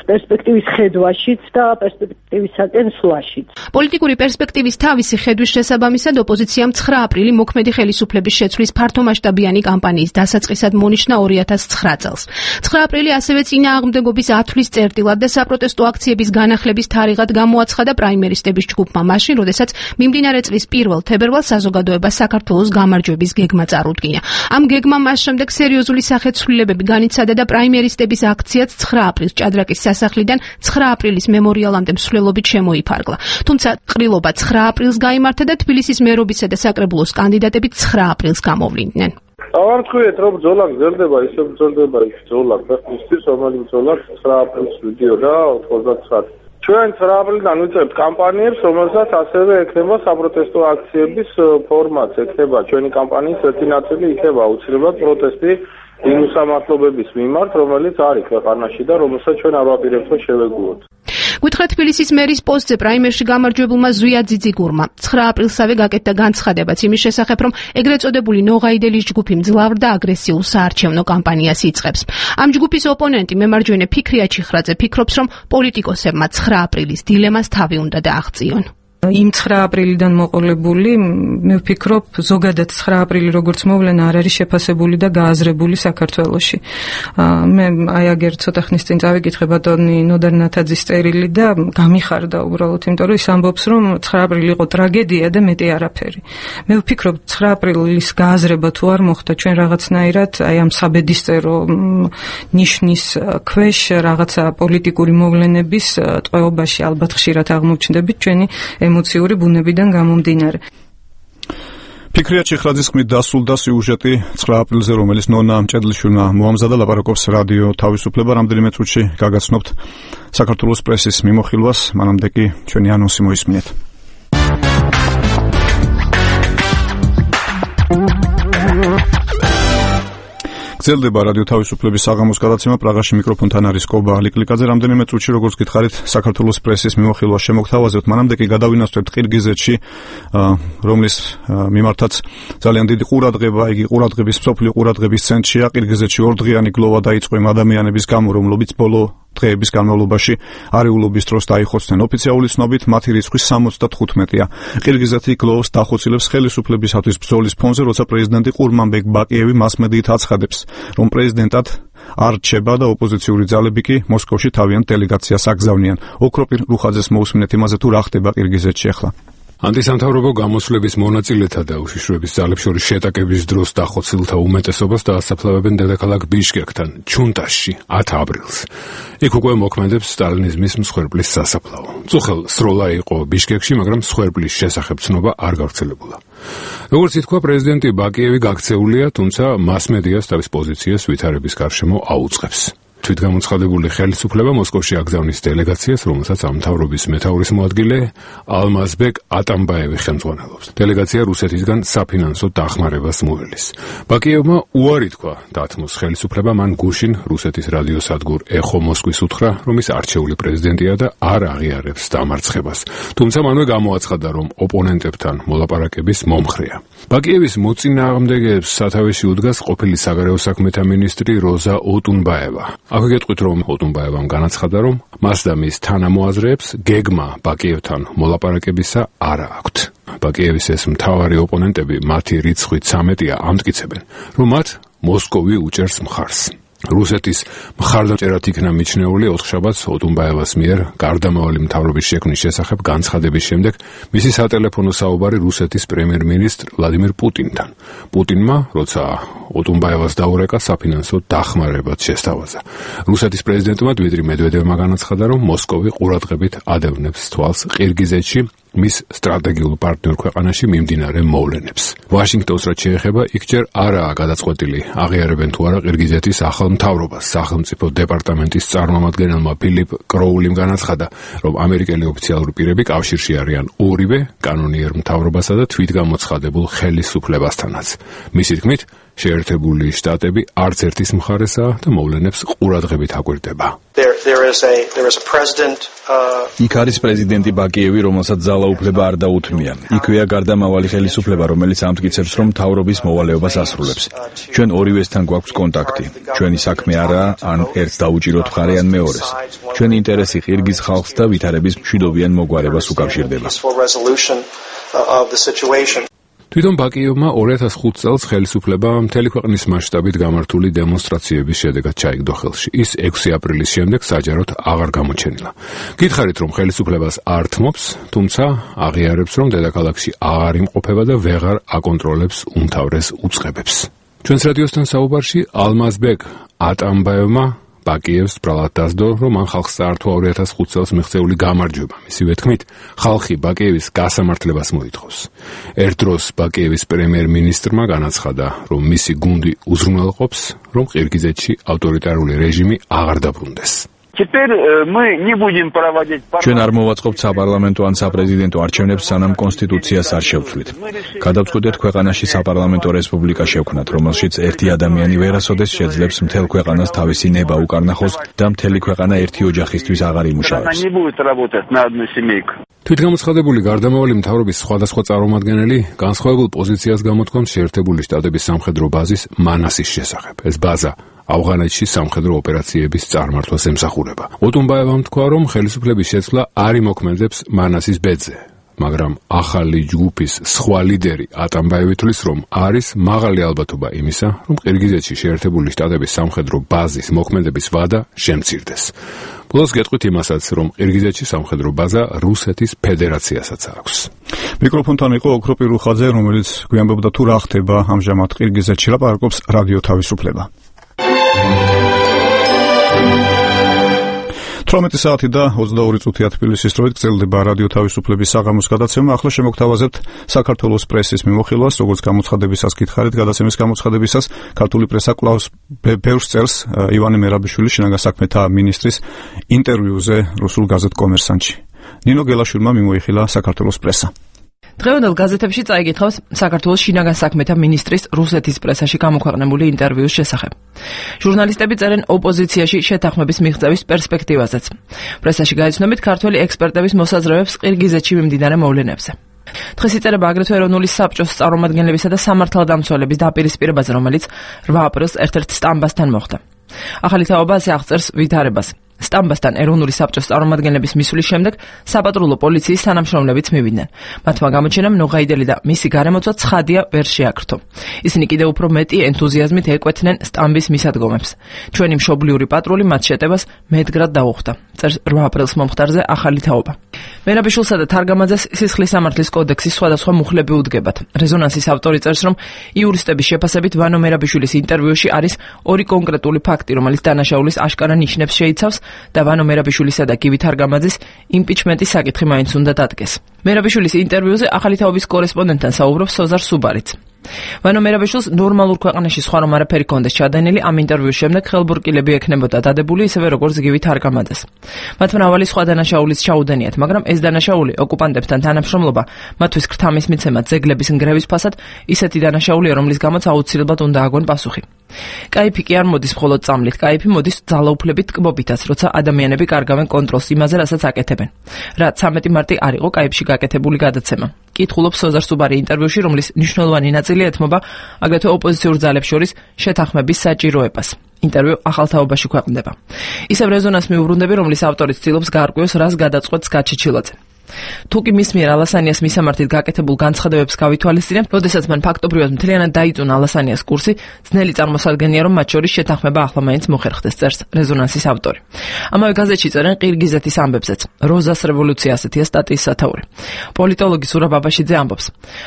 პერსპექტივის ხედვაშიც და პერსპექტივისაკენ სვლაშიც. პოლიტიკური პერსპექტივის თავისი ხედვის შესაბამისად ოპოზიციამ 9 აპრილი მოქმედი ხელისუფლების შეცვლის ფართომასშტაბიანი კამპანიის დასაწყისად მონიშნა 2009 წელს. 9 აპრილი ასევე წინააღმდეგობის ათვლის წერტილად და საპროტესტო აქციების განახლების თარიღად გამოაცხადა პრაიმერისტების ჯგუფმა მაშინ, როდესაც მიმდინარე წლის 1 თებერვალს საზოგადოებას საქართველოს გამარჯვების გეგმა წარუდგინა. ამ გეგმამ მას შემდეგ სერიოზული სახეცვლილებები განიცადა და პრაიმერისტების აქციაც 9 აპრილს ჭადრაკის სასახლიდან 9 აპრილის მემორიალამდე მსვლელობით შემოიფარგლა. თუმცა ყრილობა 9 აპრილს გაიმართა და თბილისის მერობისა და საკრებულოს კანდიდატები 9 აპრილს გამოვლინდნენ. დავარქვიეთ, რომ ბრძოლა გრძელდება, ისე ბრძოლდება ის ბრძოლა, ქვეყნისთვის, რომელიც ბრძოლა 9 აპრილს ვიდიოდა 99. ჩვენ 9 აპრილიდან ვიწყებთ კამპანიებს, რომელსაც ასევე ექნება საპროტესტო აქციების ფორმატს, ექნება ჩვენი კამპანიის ერთი ნაწილი, იქნება აუცილებლად პროტესტი იმ უსამართლობების მიმართ, რომელიც არის ქვეყანაში და რომელსაც ჩვენ არ ვაპირებთ, რომ შევეგუოთ. გითხრა თბილისის მერის პოსტზე პრაიმერში გამარჯვებულმა ზვია ძიძიგურმა 9 აპრილსავე გაკეთდა განცხადებაც იმის შესახებ, რომ ეგრეთ წოდებული ნოღაიდელის ჯგუფი მძლავრ და აგრესიულ საარჩევნო კამპანიას იწყებს. ამ ჯგუფის ოპონენტი მემარჯვენე ფიქრია ჩიხრაძე ფიქრობს, რომ პოლიტიკოსებმა 9 აპრილის დილემას თავი უნდა დააღწიონ. იმ 9 აპრილიდან მოყოლებული, მე ვფიქრობ, ზოგადად 9 აპრილი როგორც მოვლენა არ არის შეფასებული და გააზრებული საქართველოში. მე აი აგერ ცოტა ხნის წინ წავიკითხე ბატონი ნოდარ ნათაძის წერილი და გამიხარდა უბრალოდ, იმიტომ რომ ის ამბობს, რომ 9 აპრილი იყო ტრაგედია და მეტი არაფერი. მე ვფიქრობ, 9 აპრილის გააზრება თუ არ მოხდა, ჩვენ რაღაცნაირად აი ამ საბედისწერო ნიშნის ქვეშ რაღაცა პოლიტიკური მოვლენების ტყვეობაში ალბათ ხშირად აღმოჩნდებით ჩვენი ემოციური ბუნებიდან გამომდინარე. ფიქრია ჩიხრაძის ხმით დასრულდა სიუჟეტი 9 აპრილზე, რომელიც ნონა მჭედლიშვილმა მოამზადა. ლაპარაკობს რადიო თავისუფლება. რამდენიმე წუთში გაგაცნობთ საქართველოს პრესის მიმოხილვას, მანამდე კი ჩვენი ანონსი მოისმინეთ. გრძელდება რადიო თავისუფლების საღამოს გადაცემა. პრაღაში მიკროფონთან არის კობა ლიკლიკაძე. რამდენიმე წუთში, როგორც გითხარით, საქართველოს პრესის მიმოხილვა შემოგთავაზებთ. მანამდე კი გადავინაცვლებთ ყირგიზეთში, რომლის მიმართაც ძალიან დიდი ყურადღება, იგი ყურადღების მსოფლიო ყურადღების ცენტრშია. ყირგიზეთში ორდღიანი გლოვა დაიწყო იმ ადამიანების გამო, რომლებიც ბოლო დღეების განმავლობაში არეულობის დროს დაიხოცნენ. ოფიციალური ცნობით მათი რიცხვი 75-ია. ყირგიზეთი გლოვს დახოცილებს ხელისუფლებისათვის ბრძოლის ფონზე, როცა პრეზიდენტი ყურმანბეგ ბაკიევი მასმედიით აცხადებს, რომ პრეზიდენტად არ რჩება და ოპოზიციური ძალები კი მოსკოვში თავიანთ დელეგაციას აგზავნიან. ოქროპირ რუხაძეს მოусმინეთ იმაზე, თუ რა ხდება ყირგიზეთში ახლა. ანტისამთავრობო გამოსვლების მონაწილეთა და უშიშროების ძალებს შორის შეტაკების დროს დახოცილთა უმეტესობას დაასაფლავებენ დედაქალაქ ბიშკეკთან, ჩუნტაში, 10 აპრილს. იქ უკვე მოქმედებს სტალინიზმის მსხვერპლის სასაფლაო. წუხელ სროლა იყო ბიშკეკში, მაგრამ მსხვერპლის შესახებ ცნობა არ გავრცელებულა. როგორც ითქვა, პრეზიდენტი ბაკიევი გაქცეულია, თუმცა მასმედიას თავის პოზიციას ვითარების გარშემო აუწყებს. თვითგამოცხადებული ხელისუფლება მოსკოვში აგზავნის დელეგაციას, რომელსაც ამ მთავრობის მეთაურის მოადგილე ალმაზბეკ ატამბაევი ხელმძღვანელობს. დელეგაცია რუსეთისგან საფინანსო დახმარებას მოელის. ბაკიევმა უარი თქვა დათმოს ხელისუფლება მან გუშინ რუსეთის რადიოსადგურ ეხო მოსკვის უთხრა, რომ ის არჩეული პრეზიდენტია და არ აღიარებს დამარცხებას. თუმცა მანვე გამოაცხადა, რომ ოპონენტებთან მოლაპარაკების მომხრეა. ბაკიევის მოწინააღმდეგეებს სათავეში უდგას ყოფილი საგარეო საქმეთა მინისტრი როზა ოტუნბაევა. აქ გეტყვით, რომ ოტუნბაევამ განაცხადა, რომ მას და მის თანამოაზრეებს გეგმა ბაკიევთან მოლაპარაკებისა არ აქვთ. ბაკიევის ეს მთავარი ოპონენტები, მათი რიცხვით 13-ია, ამტკიცებენ, რომ მათ მოსკოვი უჭერს მხარს. რუსეთის მხარდაჭერად იქნა მიჩნეული ოთხშაბათს ოტუნბაევას მიერ გარდამავალი მთავრობის შექმნის შესახებ განცხადების შემდეგ მისი სატელეფონო საუბარი რუსეთის პრემიერ-მინისტრ ვლადიმირ პუტინთან. პუტინმა, როცა ოტუნბაევას დაურეკა, საფინანსო დახმარებაც შესთავაზა. რუსეთის პრეზიდენტმა დმიტრი მედვედევმა განაცხადა, რომ მოსკოვი ყურადღებით ადევნებს თვალს ყირგიზეთში მის სტრატეგიულ პარტნიორ ქვეყანაში მიმდინარე მოვლენებს. ვაშინგტონს რაც შეეხება, იქ ჯერ არაა გადაწყვეტილი, აღიარებენ თუ არა ყირგიზეთის ახალ მთავრობას. სახელმწიფო დეპარტამენტის წარმომადგენელმა ფილიპ კროულიმ განაცხადა, რომ ამერიკელი ოფიციალური პირები კავშირში არიან ორივე კანონიერ მთავრობასა და თვითგამოცხადებულ ხელისუფლებასთანაც. მისი თქმით, შეერთებული შტატები არც ერთის მხარესაა და მოვლენებს ყურადღებით აკვირდება. იქ არის პრეზიდენტი ბაკიევი, რომელსაც ძალაუფლება არ დაუთმია. იქვეა გარდამავალი ხელისუფლება, რომელიც ამტკიცებს, რომ მთავრობის მოვალეობას ასრულებს. ჩვენ ორივესთან გვაქვს კონტაქტი. ჩვენი საქმე არაა ან ერთს დაუჭიროთ მხარე ან მეორეს. ჩვენი ინტერესი ყირგიზ ხალხს და ვითარების მშვიდობიან მოგვარებას უკავშირდება. თვითონ ბაკიევმა 2005 წელს ხელისუფლება მთელი ქვეყნის მასშტაბით გამართული დემონსტრაციების შედეგად ჩაიგდო ხელში. ის 6 აპრილის შემდეგ საჯაროდ აღარ გამოჩენილა. გითხარით, რომ ხელისუფლებას არ თმობს, თუმცა აღიარებს, რომ დედაქალაქში აღარ იმყოფება და ვეღარ აკონტროლებს უმთავრეს უწყებებს. ჩვენს რადიოსთან საუბარში ალმაზბეკ ატამბაევმა ბაკიევს ბრალად დასდო, რომ მან ხალხს წაართვა 2005 წელს მიღწეული გამარჯვება. მისივე თქმით, ხალხი ბაკიევის გასამართლებას მოითხოვს. ერთ დროს ბაკიევის პრემიერ-მინისტრმა განაცხადა, რომ მისი გუნდი უზრუნველყოფს, რომ ყირგიზეთში ავტორიტარული რეჟიმი აღარ დაბრუნდეს. ჩვენ არ მოვაწყობთ საპარლამენტო ან საპრეზიდენტო არჩევნებს, სანამ კონსტიტუციას არ შევცვლით. გადავწყვეტეთ ქვეყანაში საპარლამენტო რესპუბლიკა შევქმნათ, რომელშიც ერთი ადამიანი ვერასოდეს შეძლებს მთელ ქვეყანას თავისი ნება უკარნახოს და მთელი ქვეყანა ერთი ოჯახისთვის აღარ იმუშავებს. თვითგამოცხადებული გარდამავალი მთავრობის სხვადასხვა წარმომადგენელი განსხვავებულ პოზიციას გამოთქვამს შეერთებული შტატების სამხედრო ბაზის მანასის შესახებ. ეს ბაზა ავღანეთში სამხედრო ოპერაციების წარმართვას ემსახურება. ოტუნბაევამ თქვა, რომ ხელისუფლების შეცვლა არ იმოქმედებს მანასის ბედზე, მაგრამ ახალი ჯგუფის სხვა ლიდერი ატამბაევი თვლის, რომ არის მაღალი ალბათობა იმისა, რომ ყირგიზეთში შეერთებული შტატების სამხედრო ბაზის მოქმედების ვადა შემცირდეს. ბოლოს გეტყვით იმასაც, რომ ყირგიზეთში სამხედრო ბაზა რუსეთის ფედერაციასაც აქვს. მიკროფონთან იყო ოქროპი რუხაძე, რომელიც გვიამბობდა თუ რა ხდება ამჟამად ყირგიზეთში, ლაპარაკობს რადიო თავისუფლება. 18 საათი და 22 წუთია თბილისის დროით გრძელდება რადიო თავისუფლების საღამოს გადაცემა. ახლა შემოგთავაზებთ საქართველოს პრესის მიმოხილვას, როგორც გამოცხადებისას გითხარით, გადაცემის გამოცხადებისას ქართული პრესა კვლავ ბევრს წერს ივანე მერაბიშვილის შინაგან საქმეთა მინისტრის ინტერვიუზე რუსულ გაზეთ კომერსანტში. ნინო გელაშვილმა მიმოიხილა საქართველოს პრესა. დღევანდელ გაზეთებში წაიკითხავს საქართველოს შინაგან საქმეთა მინისტრის რუსეთის პრესაში გამოქვეყნებული ინტერვიუს შესახებ. ჟურნალისტები წერენ ოპოზიციაში შეთანხმების მიღწევის პერსპექტივაზეც. პრესაში გაიცნობით ქართველი ექსპერტების მოსაზრებებს ყირგიზეთში მიმდინარე მოვლენებზე. დღეს იწერება აგრეთვე ეროვნული საბჭოს წარმომადგენლებისა და სამართალდამცველების დაპირისპირებაზე, რომელიც 8 აპრილს ერთ-ერთ სტამბასთან მოხდა. ახალი თაობა ასე აღწერს ვითარებას. სტამბასთან ეროვნული საბჭოს წარმომადგენლების მისვლის შემდეგ საპატრულო პოლიციის თანამშრომლებიც მივიდნენ. მათმა გამოჩენამ ნოღაიდელი და მისი გარემოცვა ცხადია ვერ შეაქრთო. ისინი კიდევ უფრო მეტი ენთუზიაზმით ეკვეთნენ სტამბის მისადგომებს. ჩვენი მშობლიური პატრული მათ შეტევას მედგრად დაუხდა. წერს 8 აპრილს მომხდარზე ახალი თაობა. მერაბიშვილსა და თარგამაძეს სისხლის სამართლის კოდექსის სხვადასხვა მუხლები უდგებათ. რეზონანსის ავტორი წერს, რომ იურისტების შეფასებით ვანო მერაბიშვილის ინტერვიუში არის ორი კონკრეტული ფაქტი, რომელიც დანაშაულის აშკარა ნიშნებს შეიცავს და ვანო მერაბიშვილისა და გივი თარგამაძის იმპიჩმენტის საკითხი მაინც უნდა დადგეს. მერაბიშვილის ინტერვიუზე ახალი თაობის კორესპონდენტთან საუბრობს სოზარ სუბარიც. ვანო მერაბიშვილს ნორმალურ ქვეყანაში სხვა რომ არაფერი კონდეს ჩადენილი, ამ ინტერვიუს შემდეგ ხელბურკილები ექნებოდა დადებული ისევე როგორც გივი თარგამაძეს. მათ მრავალი სხვა დანაშაულის ჩაუდენიათ, მაგრამ ეს დანაშაული ოკუპანტებთან თანამშრომლობა, მათთვის ქრთამის მიცემა ძეგლების ნგრევის ფასად ისეთი დანაშაულია, რომლის გამოც აუცილებლად უნდა აგონ პასუხი. კაიფი კი არ მოდის მხოლოდ წამლით, კაიფი მოდის ძალაუფლებით ტკბობითაც, როცა ადამიანები კარგავენ კონტროლს იმაზე, რასაც აკეთებენ. რა 13 მარტი არ იყო კაიფში გაკეთებული გადაცემა. კითხულობს სოზარ სუბარი ინტერვიუში, რომლის მნიშვნელოვანი ნაწილი ეთმობა აგრეთვე ოპოზიციურ ძალებს შორის შეთანხმების საჭიროებას. ინტერვიუ ახალთაობაში ქვეყნდება. ისევ რეზონანს მიუბრუნდები, რომლის ავტორი ცდილობს გაარკვიოს, რას გადაწყვეტს გაჩიჩილაძე. თუკი მის მიერ ალასანიას მისამართით გაკეთებულ განცხადებებს გავითვალისწინებთ, როდესაც მან ფაქტობრივად მთლიანად დაიწუნა ალასანიას კურსი, ძნელი წარმოსადგენია, რომ მათ შორის შეთანხმება ახლა მაინც მოხერხდეს, წერს რეზონანსის ავტორი. ამავე გაზეთში წერენ ყირგიზეთის ამბებზეც. როზას რევოლუცია ასეთია სტატიის სათაური. პოლიტოლოგი ზურაბ აბაშიძე ამბობს: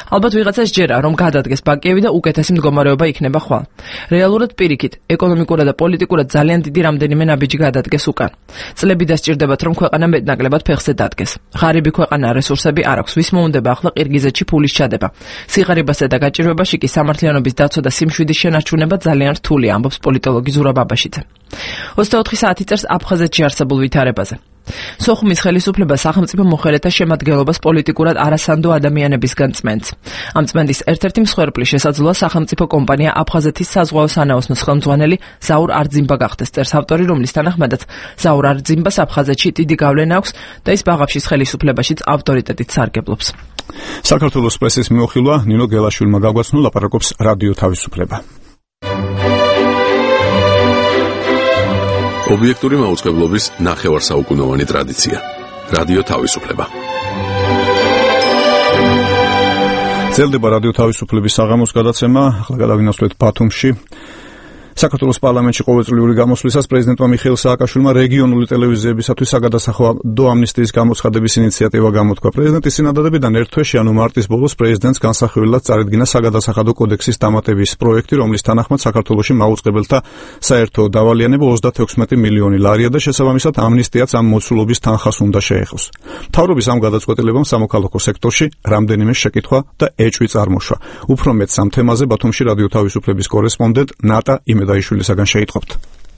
ალბათ ვიღაცას ჯერა, რომ გადადგეს ბაკიევი და უკეთესი მდგომარეობა იქნება ხვალ. რეალურად პირიქით, ეკონომიკურად და პოლიტიკურად ძალიან დიდი რამდენიმე ნაბიჯი გადადგეს უკან. წლები დასჭირდებათ, რომ ქვეყანა მეტნაკლებად ფეხზე დადგეს. ღარიბი ქვეყანა რესურსები არ აქვს, ვის მოუნდება ახლა ყირგიზეთში ფულის ჩადება. სიღარიბასა და გაჭირვებაში კი სამართლიანობის დაცვა და სიმშვიდის შენარჩუნება ძალიან რთულია, ამბობს პოლიტოლოგი ზურაბ აბაშიძე. 24 საათი წერს აფხაზეთში არსებულ ვითარებაზე. სოხუმის ხელისუფლება სახელმწიფო მოხელეთა შემადგენლობას პოლიტიკურად არასანდო ადამიანებისგან წმენს. ამ წმენდის ერთ-ერთი მსხვერპლი შესაძლოა სახელმწიფო კომპანია აფხაზეთის საზღვაო სანაოსნოს ხელმძღვანელი ზაურ არძიმბა გახდეს, წერს ავტორი, რომლის თანახმადაც ზაურ არძიმბას აფხაზეთში დიდი გავლენა აქვს და ის ბაღაფშის ხელისუფლებაშიც ავტორიტეტით სარგებლობს. საქართველოს პრესის მეოხილვა ნინო გელაშვილმა გაგვაცნო, ლაპარაკობს რადიო თავისუფლება. ობიექტური მაუწყებლობის ნახევარსაუკუნოვანი ტრადიცია. რადიო თავისუფლება. ძლდება რადიო თავისუფლების საღამოს გადაცემა, ახლა გადავინაცვლეთ ბათუმში. საქართველოს პარლამენტში ყოველწლიური გამოსვლისას პრეზიდენტმა მიხეილ სააკაშვილმა რეგიონული ტელევიზიებისათვის საგადასახადო ამნისტიის გამოცხადების ინიციატივა გამოთქვა. პრეზიდენტის წინადადებიდან ერთ თვეში, ანუ მარტის ბოლოს, პრეზიდენტს განსახილველად წარედგინა საგადასახადო კოდექსის დამატების პროექტი, რომლის თანახმად საქართველოში მაუწყებელთა საერთო დავალიანება 36 მილიონი ლარია და შესაბამისად ამნისტიაც ამ მოცულობის თანხას უნდა შეეხოს. მთავრობის ამ გადაწყვეტილებამ სამოქალაქო სექტორში რამდენიმე შეკითხვა და ეჭვი წარმოშვა. უფრო მეტს ამ თემაზე ბათუმში რადიო თავისუფლების კორესპონდენტ ნატა იმედაიშვილისაგან შეიტყობთ.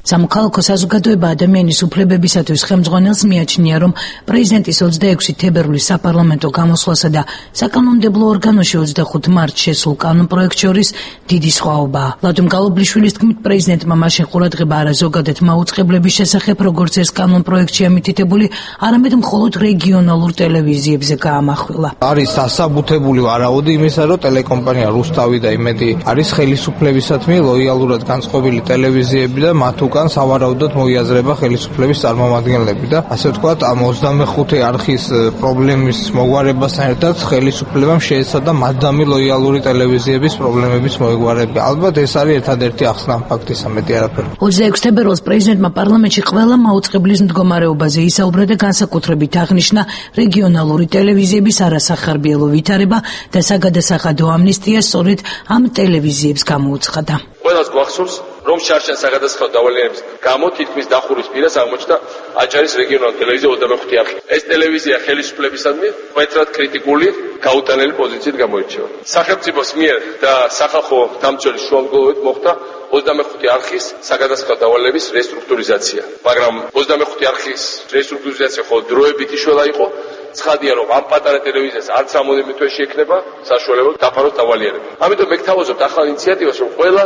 სამოქალაქო საზოგადოება ადამიანის უფლებებისათვის ხელმძღვანელს მიაჩნია, რომ პრეზიდენტის 26 თებერვლის საპარლამენტო გამოსვლასა და საკანონმდებლო ორგანოში 25 მარტს შესულ კანონპროექტს შორის დიდი სხვაობაა. ლადო მგალობლიშვილის თქმით, პრეზიდენტმა მაშინ ყურადღება არა ზოგადად მაუწყებლების შესახებ, როგორც ეს კანონპროექტში ამითითებული, არამედ მხოლოდ რეგიონალურ ტელევიზიებზე გაამახვილა. არის დასაბუთებული ვარაუდი იმისა, რომ ტელეკომპანია რუსთავი და იმედი არის ხელისუფლებისადმი ლოიალურად განწყობილი ტელევიზიები და მათ უკან სავარაუდოდ მოიაზრება ხელისუფლების წარმომადგენლები და ასე ვთქვათ, ამ 25 არხის პრობლემის მოგვარებასთან ერთად ხელისუფლებამ შეეცადა მადამი ლოიალური ტელევიზიების პრობლემების მოგვარება. ალბათ ეს არის ერთადერთი ახსნა ფაქტისა, მეტი არაფერი. 26 თებერვალს პრეზიდენტმა პარლამენტში ყველა მაუწყებლის მდგომარეობაზე ისაუბრა და განსაკუთრებით აღნიშნა რეგიონალური ტელევიზიების არასახარბიელო ვითარება და საგადასახადო ამნისტია სწორედ ამ ტელევიზიებს გამოუცხადა. ყველას გვახსოვს, რომ შარშან საგადასახადო დავალიანების გამო თითქმის დახურის პირას აღმოჩნდა აჭარის რეგიონალური ტელევიზია 25 არხი. ეს ტელევიზია ხელისუფლებისადმი მკვეთრად კრიტიკული გაუტანელი პოზიციით გამოირჩევა. სახელმწიფოს მიერ და სახალხო დამცველის შუამდგომლობით მოხდა 25 არხის საგადასახადო დავალების რესტრუქტურიზაცია. მაგრამ 25 არხის რესტრუქტურიზაცია ხოლმე დროებით იშველა იყო. ცხადია, რომ ამ პატარა ტელევიზიას არც რამოდენიმე თვეში ექნება საშუალება დაფაროს დავალიანება. ამიტომ მე გთავაზობთ ახალ ინიციატივას, რომ ყველა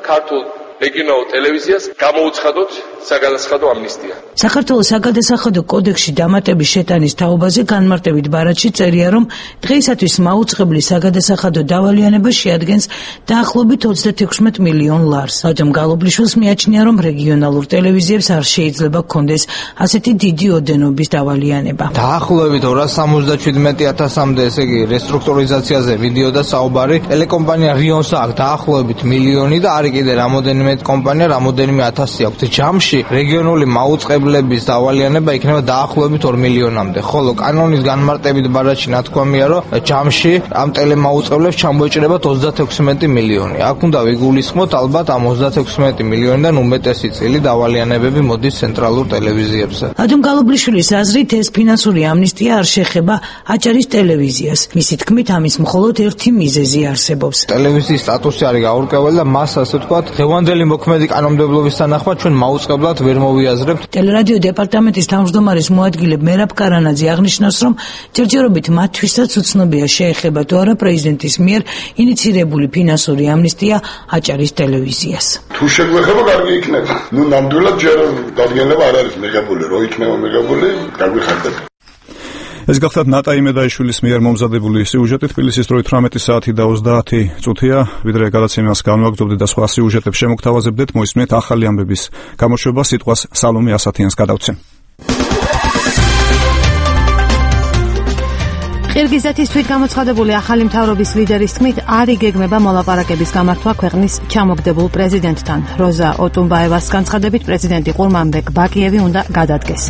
ქართულ რეგიონალურ ტელევიზიას გამოუცხადოთ საგადასახადო ამნისტია. საქართველოს საგადასახადო კოდექსში დამატების შეტანის თაობაზე განმარტებით ბარათში წერია, რომ დღეისათვის მაუწყებლის საგადასახადო დავალიანება შეადგენს დაახლოებით 36 მილიონ ლარს. ლადო მგალობლიშვილს მიაჩნია, რომ რეგიონალურ ტელევიზიებს არ შეიძლება ჰქონდეს ასეთი დიდი ოდენობის დავალიანება. დაახლოებით 277.000-მდე, ესე იგი რესტრუქტურიზაციაზე მიდიოდა საუბარი. ტელეკომპანია რიონს აქვს დაახლოებით მილიონი და არის კიდე რამოდენიმე კომპანია, რამოდენიმე ათასი აქვს. ჯამში რეგიონული მაუწყებლების დავალიანება იქნება დაახლოებით 2 მილიონამდე. ხოლო კანონის განმარტებით ბარათში ნათქვამია, რომ ჯამში ამ ტელემაუწყებლებს ჩამოეჭრებათ 36 მილიონი. აქ უნდა ვიგულისხმოთ ალბათ ამ 36 მილიონიდან უმეტესი წილი დავალიანებები მოდის ცენტრალურ ტელევიზიებზე. ლადო მგალობლიშვილის აზრით, ეს ფინანსური ამნისტია არ შეეხება აჭარის ტელევიზიას. მისი თქმით, ამის მხოლოდ ერთი მიზეზი არსებობს. ტელევიზიის სტატუსი არის გაურკვეველი და მას ასე ვთქვათ, დღევანდელი მოქმედი კანონმდებლობის თანახმად ჩვენ მაუწყებლად ვერ მოვიაზრებთ. ტელერადიო დეპარტამენტის თავმჯდომარის მოადგილე მერაბ კარანაძე აღნიშნავს, რომ ჯერჯერობით მათთვისაც უცნობია შეეხება თუ არა პრეზიდენტის მიერ ინიცირებული ფინანსური ამნისტია აჭარის ტელევიზიას. თუ შეგვეხება, კარგი იქნება. ნამდვილად ჯერ დადგენილება არ არის მიღებული, რო იქნება მიღებული, გაგვიხარდება. ეს გახლავთ ნატა იმედაიშვილის მიერ მომზადებული სიუჟეტი. თბილისის დროით 18 საათი და 30 წუთია. ვიდრე გადაცემას განვაგრძობდეთ და სხვა სიუჟეტებს შემოგთავაზებდეთ, მოისმენთ ახალი ამბების გამოშვება. სიტყვას სალომე ასათიანს გადავცემ. ყირგიზეთის თვითგამოცხადებული ახალი მთავრობის ლიდერის თქმით, არ იგეგმება მოლაპარაკების გამართვა ქვეყნის ჩამოგდებულ პრეზიდენტთან. როზა ოტუმბაევას განცხადებით, პრეზიდენტი ყურმანბეკ ბაკიევი უნდა გადადგეს.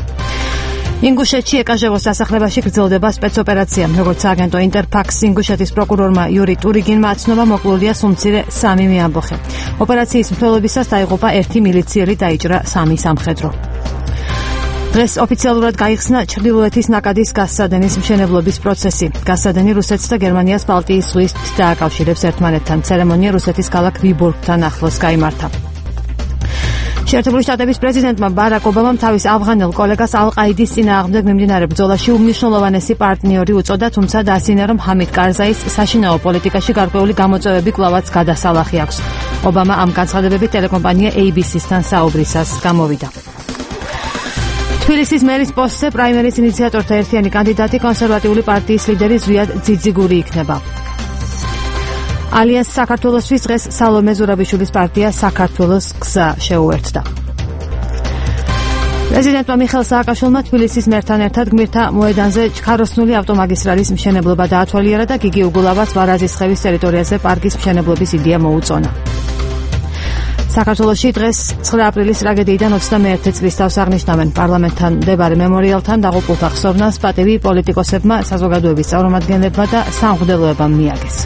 ინგუშეთში ეკაჟევოს დასახლებაში გრძელდება სპეცოპერაცია. როგორც აგენტო ინტერფაქს ინგუშეთის პროკურორმა იური ტურიგინმა აცნობა, მოკლულია სულ მცირე 3 მეამბოხე. ოპერაციის მსვლელობისას დაიღუპა 1 მილიციელი, დაიჭრა 3 სამხედრო. დღეს ოფიციალურად გაიხსნა ჩრდილოეთის ნაკადის გაზსადენის მშენებლობის პროცესი. გაზსადენი რუსეთს და გერმანიას ბალტიის ზღვით დააკავშირებს ერთმანეთთან. ცერემონია რუსეთის ქალაქ ვიბორგთან ახლოს გაიმართა. შეერთებული შტატების პრეზიდენტმა ბარაკ ობამამ თავის ავღანელ კოლეგას ალ-ყაიდის წინააღმდეგ მიმდინარე ბრძოლაში უმნიშვნელოვანესი პარტნიორი უწოდა, თუმცა დაასინა, რომ ჰამიდ კარზაის საშინაო პოლიტიკაში გარკვეული გამოწვევები კვლავაც გადასალახი აქვს. ობამა ამ განცხადებებით ტელეკომპანია ABC-სთან საუბრისას გამოვიდა. თბილისის მერის პოსტზე პრაიმერის ინიციატორთა ერთიანი კანდიდატი კონსერვატიული პარტიის ლიდერი ზვიად ძიძიგური იქნება. ალიანს საქართველოსთვის დღეს სალომე ზურაბიშვილის პარტია საქართველოს გზა შეუერთდა. პრეზიდენტმა მიხეილ სააკაშვილმა თბილისის მერთან ერთად გმირთა მოედანზე ჩქაროსნული ავტომაგისტრალის მშენებლობა დაათვალიერა და გიგი უგულავას ვარაზისხევის ტერიტორიაზე პარკის მშენებლობის იდეა მოუწონა. საქართველოში დღეს 9 აპრილის ტრაგედიიდან 21 წლის თავს აღნიშნავენ. პარლამენტთან მდებარე მემორიალთან დაღუპულთა ხსოვნას პატივი პოლიტიკოსებმა, საზოგადოების წარმომადგენლებმა და სამღვდელოებამ მიაგეს.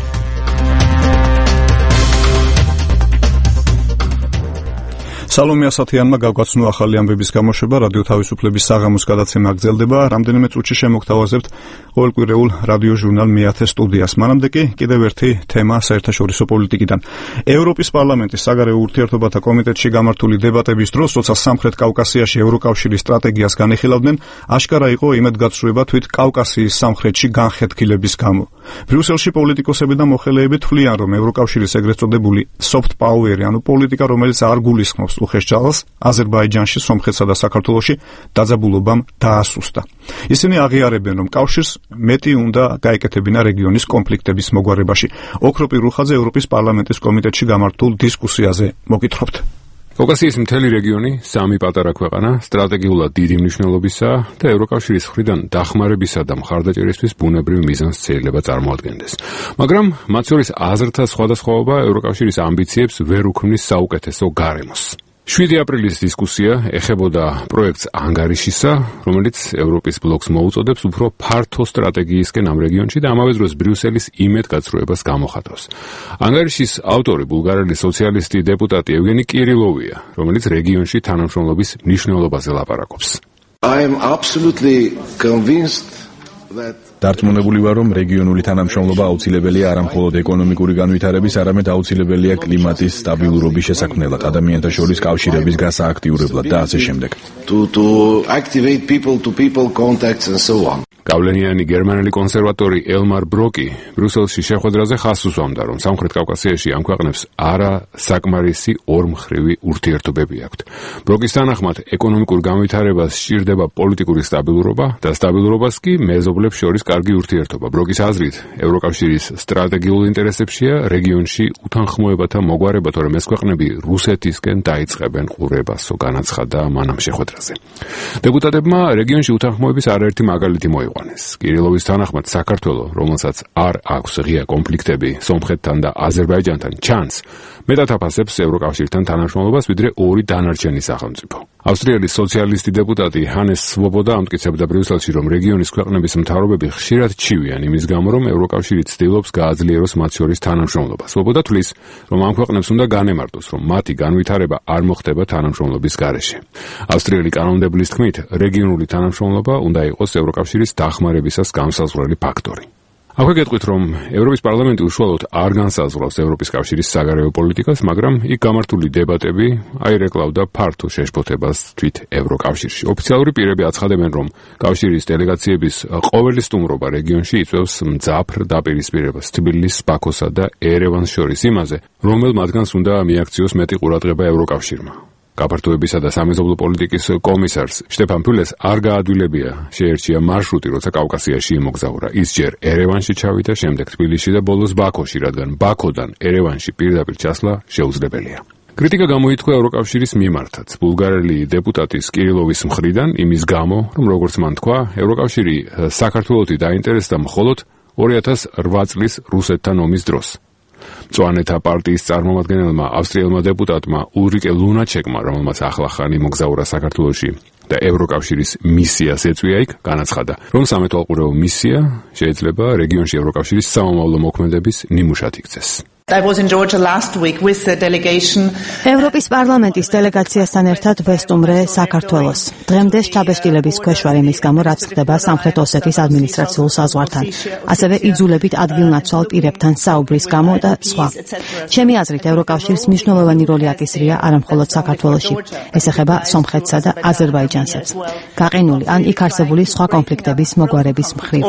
სალომე ასათიანმა გავგაცნო ახალი ამბების გამოშვება. რადიო თავისუფლების საღამოს გადაცემა გრძელდება. რამდენიმე წუთში შემოგთავაზებთ ყოველკვირეულ რადიო ჟურნალ მეათე სტუდიას. მანამდე კი კიდევ ერთი თემა საერთაშორისო პოლიტიკიდან. ევროპის პარლამენტის საგარეო ურთიერთობათა კომიტეტში გამართული დებატების დროს, როცა სამხრეთ კავკასიაში ევროკავშირის სტრატეგიას განიხილავდნენ, აშკარა იყო იმედგაცრუება თვით კავკასიის სამხრეთში განხეთქილების გამო. ბრიუსელში პოლიტიკოსები და მოხელეები თვლიან, რომ ევროკავშირის ეგრეთ წოდებული soft power-ი, ანუ პოლიტიკა, რომელიც არ გულისხმობს უხეშ-ჯალას, აზერბაიჯანში, სომხეთსა და საქართველოში დაძაბულობამ დაასუსტა. ისინი აღიარებენ, რომ კავშირს მეტი უნდა გაეკეთებინა რეგიონის კონფლიქტების მოგვარებაში. ოქროპი რუხაძე ევროპის პარლამენტის კომიტეტში გამართულ დისკუსიაზე მოგითხრობთ. კავკასიის მთელი რეგიონი, 3 პატარა ქვეყანა, სტრატეგიულად დიდი მნიშვნელობისაა და ევროკავშირის მხრიდან დახმარებისა და მხარდაჭერისთვის ბუნებრივ მიზანს შეიძლება წარმოადგენდეს. მაგრამ მათ შორის აზრთა სხვადასხვაობა ევროკავშირის ამბიციებს ვერ უქმნის საუკეთესო გარემოს. 7 აპრილის დისკუსია ეხებოდა პროექტს ანგარიშისა, რომელიც ევროპის ბლოკს მოუწოდებს უფრო ფართო სტრატეგიისკენ ამ რეგიონში და ამავე დროს ბრიუსელის იმედგაცრუებას გამოხატავს. ანგარიშის ავტორი ბულგარელი სოციალისტი დეპუტატი ევგენი კირილოვია, რომელიც რეგიონში თანამშრომლობის მნიშვნელობაზე ლაპარაკობს. I am absolutely convinced that დარწმუნებული ვარ, რომ რეგიონული თანამშრომლობა აუცილებელია არა მხოლოდ ეკონომიკური განვითარების, არამედ აუცილებელია კლიმატის სტაბილურობის შესაქმნელად, ადამიანთა შორის კავშირების გასააქტიურებლად და ასე შემდეგ. To activate people-to-people contacts and so on. გავლენიანი გერმანელი კონსერვატორი ელმარ ბროკი ბრიუსელში შეხვედრაზე ხაზს უსვამდა, რომ სამხრეთ კავკასიაში ამ ქვეყნებს არა საკმარისი ორმხრივი ურთიერთობები აქვთ. ბროკის თანახმად, ეკონომიკურ განვითარებას სჭირდება პოლიტიკური სტაბილურობა და სტაბილურობას კი მეზობლებს შორის კარგი ურთიერთობა. ბროკის აზრით, ევროკავშირის სტრატეგიულ ინტერესებშია რეგიონში უთანხმოებათა მოგვარება, თორემ ეს ქვეყნები რუსეთისკენ დაიწყებენ ყურებასო, განაცხადა მან ამ შეხვედრაზე. დეპუტატებმა რეგიონში უთანხმოების არაერთი მაგალითი მოიყვანეს. კირილოვის თანახმად, საქართველო, რომელსაც არ აქვს ღია კონფლიქტები სომხეთთან და აზერბაიჯანთან, ჩანს მეტად აფასებს ევროკავშირთან თანამშრომლობას, ვიდრე ორი დანარჩენი სახელმწიფო. ავსტრიელი სოციალისტი დეპუტატი ჰანეს სვობოდა ამტკიცებდა ბრიუსელში, რომ რეგიონის ქვეყნების მთავრობები ხშირად ჩივიან იმის გამო, რომ ევროკავშირი ცდილობს გააძლიეროს მათ შორის თანამშრომლობა. სვობოდა თვლის, რომ ამ ქვეყნებს უნდა განემარტოს, რომ მათი განვითარება არ მოხდება თანამშრომლობის გარეშე. ავსტრიელი კანონმდებლის თქმით, რეგიონული თანამშრომლობა უნდა იყოს ევროკავშირის დახმარებისას განსაზღვრელი ფაქტორი. აქვე გეტყვით, რომ ევროპის პარლამენტი უშუალოდ არ განსაზღვრავს ევროპის კავშირის საგარეო პოლიტიკას, მაგრამ იქ გამართული დებატები აირეკლავდა ფართო შეშფოთებას თვით ევროკავშირში. ოფიციალური პირები აცხადებენ, რომ კავშირის დელეგაციების ყოველი სტუმრობა რეგიონში იწვევს მძაფრ დაპირისპირებას თბილისის, ბაქოსა და ერევანს შორის იმაზე, რომელ მათგანს უნდა მიაქციოს მეტი ყურადღება ევროკავშირმა. გაფართოებისა და სამეზობლო პოლიტიკის კომისარს შტეფან ფულეს არ გაადვილებია შეერჩია მარშრუტი, როცა კავკასიაში იმოგზაურა. ის ჯერ ერევანში ჩავიდა, შემდეგ თბილისში და ბოლოს ბაქოში, რადგან ბაქოდან ერევანში პირდაპირ ჩასვლა შეუძლებელია. კრიტიკა გამოითქვა ევროკავშირის მიმართაც. ბულგარელი დეპუტატის კირილოვის მხრიდან იმის გამო, რომ როგორც მან თქვა, ევროკავშირი საქართველოსი დაინტერესდა მხოლოდ 2008 წლის რუსეთთან ომის დროს. მწვანეთა პარტიის წარმომადგენელმა ავსტრიელმა დეპუტატმა ულრიკე ლუნაჩეკმა, რომელმაც ახლახან იმოგზაურა საქართველოში და ევროკავშირის მისიას ეწვია იქ, განაცხადა, რომ სამეთვალყურეო მისია შეიძლება რეგიონში ევროკავშირის სამომავლო მოქმედების ნიმუშად იქცეს. I was in Georgia last week with the delegation. ევროპის პარლამენტის დელეგაციასთან ერთად ვესტუმრე საქართველოს. დღემდე შთაბეჭდილების ქვეშ ვარ იმის გამო, რაც ხდება სამხრეთ ოსეთის ადმინისტრაციულ საზღვართან. ასევე იძულებით ადგილნაცვალ პირებთან საუბრის გამო და სხვა. ჩემი აზრით, ევროკავშირს მნიშვნელოვანი როლი აკისრია არა მხოლოდ საქართველოში, ეს ეხება სომხეთსა და აზერბაიჯანსაც. გაყინული ან იქ არსებული სხვა კონფლიქტების მოგვარების მხრივ.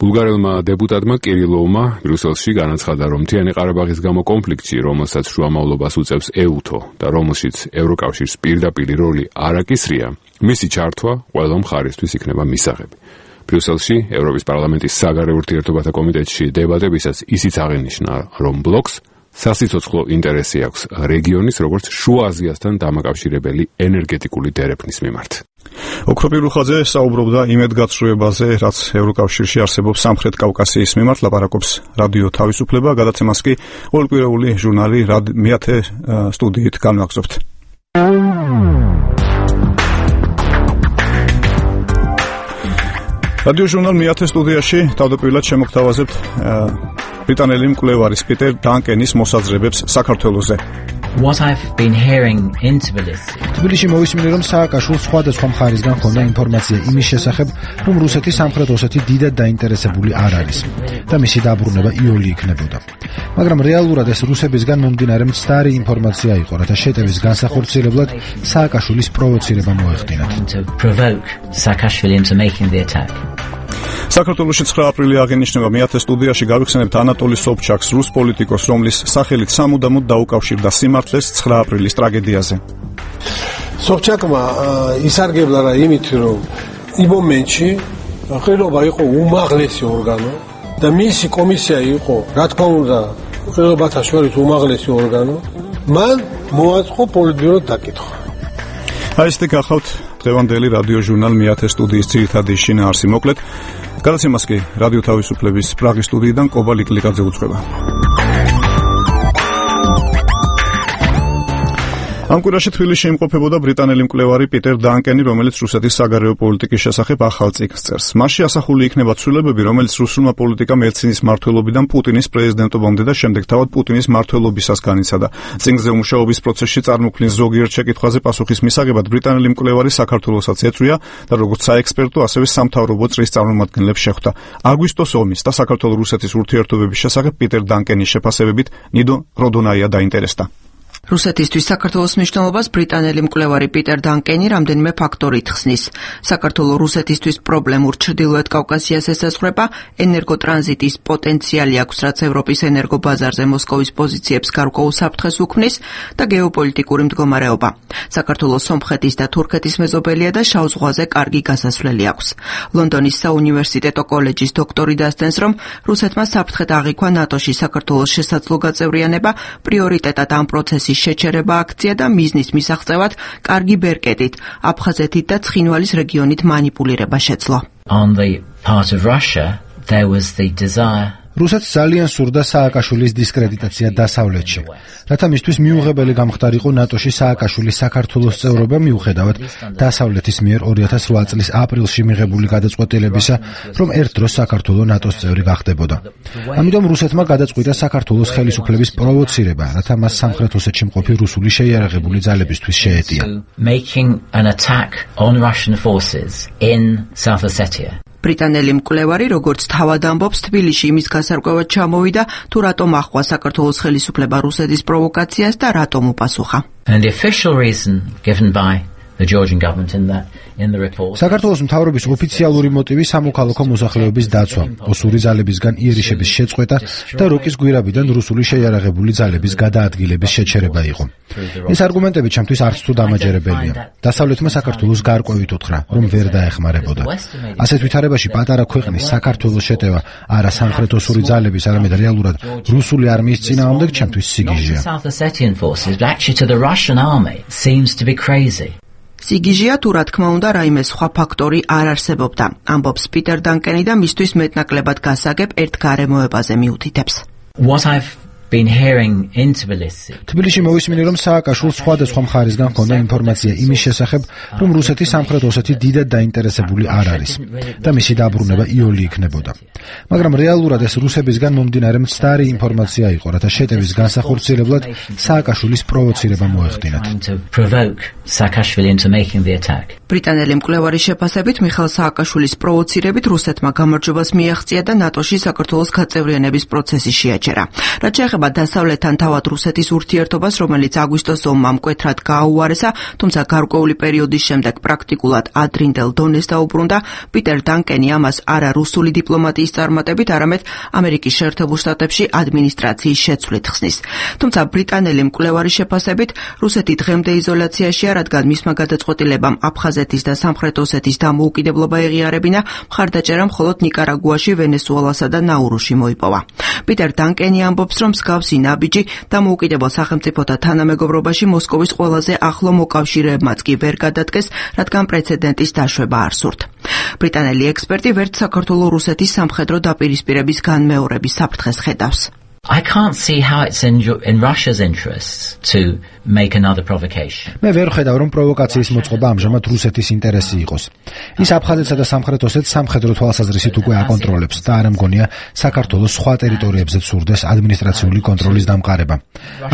ბულგარელმა დეპუტატმა კირილოვმა ბრიუსელში განაცხადა, რომ მთიანი ყარაბაღის გამო კონფლიქტში, რომელსაც შუამავლობას უწევს EUTO და რომელშიც ევროკავშირს პირდაპირი როლი არ აკისრია, მისი ჩართვა ყველა მხარისთვის იქნება მისაღები. ბრიუსელში ევროპის პარლამენტის საგარეო ურთიერთობათა კომიტეტში დებატებისას ისიც აღინიშნა, რომ ბლოკს სასიცოცხლო ინტერესი აქვს რეგიონის, როგორც შუა აზიასთან დამაკავშირებელი ენერგეტიკული დერეფნის მიმართ. ოქროპი რუხაძე საუბრობდა იმედგაცრუებაზე, რაც ევროკავშირში არსებობს სამხრეთ კავკასიის მიმართ, ლაპარაკობს რადიო თავისუფლება, გადაცემას კი ყოველკვირეული ჟურნალი მეათე სტუდიით განვაგრძობთ. რადიო ჟურნალ მეათე სტუდიაში თავდაპირველად შემოგთავაზებთ ბრიტანელი მკვლევარის პიტერ დანკენის მოსაზრებებს საქართველოზე. What I've been hearing in Tbilisi. თბილისში მოვისმინე, რომ სააკაშვილს სხვადასხვა მხარისგან ჰქონდა ინფორმაცია იმის შესახებ, რომ რუსეთი სამხრეთ ოსეთი დიდად დაინტერესებული არ არის და მისი დაბრუნება იოლი იქნებოდა. მაგრამ რეალურად ეს რუსებისგან მომდინარე მცდარი ინფორმაცია იყო, რათა შეტევის განსახორციელებლად სააკაშვილის პროვოცირება მოეხდინათ. საქართველოში 9 აპრილი აღინიშნება მეათე სტუდიაში გავიხსენებთ ანატოლი სობჩაკს, რუს პოლიტიკოს, რომლის სახელით სამუდამოდ დაუკავშირდა სიმართლეს 9 აპრილის ტრაგედიაზე. სობჩაკმა ისარგებლა რა იმით, რომ იმ მომენტში ყრილობა იყო უმაღლესი ორგანო და მისი კომისია იყო, რა თქმა უნდა, ყრილობათა შორის უმაღლესი ორგანო, მან მოაწყო პოლიტბიურო დაკითხვა. აი ეს გახავთ დღევანდელი რადიო ჟურნალ მეათე სტუდიის ძირითადი შინაარსი. მოკლედ გადაცემას კი რადიო თავისუფლების პრაღის სტუდიიდან კობა ლიკლიკაძე უძღვება. ამ კვირაში თბილისში იმყოფებოდა ბრიტანელი მკვლევარი პიტერ დანკენი, რომელიც რუსეთის საგარეო პოლიტიკის შესახებ ახალ წიგნს წერს. მასში ასახული იქნება ცვლილებები, რომელიც რუსულმა პოლიტიკამ ელცინის მმართველობიდან პუტინის პრეზიდენტობამდე და შემდეგ თავად პუტინის მმართველობისას განიცადა. წიგნზე მუშაობის პროცესში წარმოქმნილ ზოგიერთ შეკითხვაზე პასუხის მისაღებად ბრიტანელი მკვლევარი საქართველოსაც ეწვია და როგორც საექსპერტო, ასევე სამთავრობო წრის წარმომადგენლებს შეხვდა. აგვისტოს ომის და საქართველო-რუსეთის ურთიერთობების შესახებ პიტერ დანკენის შეფასებებით ნიდო როდონაია დაინტერესდა. რუსეთისთვის საქართველოს მნიშვნელობას ბრიტანელი მკვლევარი პიტერ დანკენი რამდენიმე ფაქტორით ხსნის. საქართველოს რუსეთისთვის პრობლემურ ჩრდილოეთ კავკასიას ესაზღვრება, ენერგოტრანზიტის პოტენციალი აქვს, რაც ევროპის ენერგობაზარზე მოსკოვის პოზიციებს გარკვეულ საფრთხეს უქმნის და გეოპოლიტიკური მდგომარეობა. საქართველოს სომხეთის და თურქეთის მეზობელია და შავ ზღვაზე კარგი გასასვლელი აქვს. ლონდონის საუნივერსიტეტო კოლეჯის დოქტორი დასდენს, რომ რუსეთმა საფრთხედ აღიქვა ნატოში საქართველოს შესაძლო გაწევრიანება, პრიორიტეტად ამ პროცესის შეჩერება აქცია და მიზნის მისაღწევად კარგი ბერკეტით, აფხაზეთით და ცხინვალის რეგიონით მანიპულირება შეძლო. On the part of Russia, there was the desire რუსეთს ძალიან სურდა სააკაშვილის დისკრედიტაცია დასავლეთში, რათა მისთვის მიუღებელი გამხდარიყო ნატოში სააკაშვილის საქართველოს წევრობა მიუხედავად დასავლეთის მიერ 2008 წლის აპრილში მიღებული გადაწყვეტილებისა, რომ ერთ დროს საქართველო ნატოს წევრი გახდებოდა. ამიტომ რუსეთმა გადაწყვიტა საქართველოს ხელისუფლების პროვოცირება, რათა მას სამხრეთ ოსეთში მყოფი რუსული შეიარაღებული ძალებისთვის შეეტია. making an attack on Russian forces in South Ossetia. ბრიტანელი მკვლევარი, როგორც თავად ამბობს, თბილისში იმის გასარკვევად ჩამოვიდა, თუ რატომ ახვა საქართველოს ხელისუფლება რუსეთის პროვოკაციას და რატომ უპასუხა. And the official reason given by the Georgian government in the report. საქართველოს მთავრობის ოფიციალური მოტივი სამოქალაქო მოსახლეობის დაცვა, ოსური ძალებისგან იერიშების შეწყვეტა და როკის გვირაბიდან რუსული შეიარაღებული ძალების გადაადგილების შეჩერება იყო. ეს არგუმენტები ჩემთვის არც თუ დამაჯერებელია. დასავლეთმა საქართველოს გარკვევით უთხრა, რომ ვერ დაეხმარებოდა. ასეთ ვითარებაში პატარა ქვეყნის საქართველოს შეტევა არა სამხრეთ ოსური ძალების, არამედ რეალურად რუსული არმიის წინააღმდეგ ჩემთვის სიგიჟეა. South Ossetian forces, but actually to the Russian army seems to be crazy. სიგიჟეა თუ რა თქმა უნდა რაიმე სხვა ფაქტორი არ არსებობდა. ამბობს პიტერ დანკენი და მისთვის მეტნაკლებად გასაგებ ერთ გარემოებაზე მიუთითებს. What I've been hearing in Tbilisi. თბილისში მოვისმინე, რომ სააკაშვილს სხვადასხვა მხარისგან ჰქონდა ინფორმაცია იმის შესახებ, რომ რუსეთის სამხრეთ ოსეთი დიდად დაინტერესებული არ არის და მისი დაბრუნება იოლი იქნებოდა. მაგრამ რეალურად ეს რუსებისგან მომდინარე მცდარი ინფორმაცია იყო, რათა შეტევის განსახორციელებლად სააკაშვილის პროვოცირება მოეხდინათ. ბრიტანელი მკვლევარის შეფასებით მიხეილ სააკაშვილის პროვოცირებით რუსეთმა გამარჯვებას მიაღწია და ნატოში საქართველოს გაწევრიანების პროცესი შეაჩერა. რაც შეეხება დასავლეთთან თავად რუსეთის ურთიერთობას, რომელიც აგვისტოს ომმა მკვეთრად გააუარესა, თუმცა გარკვეული პერიოდის შემდეგ პრაქტიკულად ადრინდელ დონეს დაუბრუნდა, პიტერ დანკენი ამას არა რუსული დიპლომატიის წარმატებით, არამედ ამერიკის შეერთებულ შტატებში ადმინისტრაციის შეცვლით ხსნის. თუმცა ბრიტანელი მკვლევარის შეფასებით რუსეთი დღემდე იზოლაციაშია, რადგან მისმა გადაწყვეტილებამ აფხაზეთის და სამხრეთ ოსეთის დამოუკიდებლობა ეღიარებინა, მხარდაჭერა მხოლოდ ნიკარაგუაში, ვენესუელასა და ნაურუში მოიპოვა. პიტერ დანკენი ამბობს, რომ მსგავსი ნაბიჯი დამოუკიდებელ სახელმწიფოთა თანამეგობრობაში მოსკოვის ყველაზე ახლო მოკავშირეებმაც კი ვერ გადადგეს, რადგან პრეცედენტის დაშვება არ სურთ. ბრიტანელი ექსპერტი ვერც საქართველოს რუსეთის სამხედრო დაპირისპირების განმეორების საფრთხეს ხედავს. I can't see how it's in Russia's interests to make another provocation. მე ვერ ხედავ, რომ პროვოკაციის მოწყობა ამჟამად რუსეთის ინტერესი იყოს. ის აფხაზეთსა და სამხრეთ ოსეთს სამხედრო თვალსაზრისით უკვე აკონტროლებს და არ მგონია საქართველოს სხვა ტერიტორიებზე სურდეს ადმინისტრაციული კონტროლის დამყარება.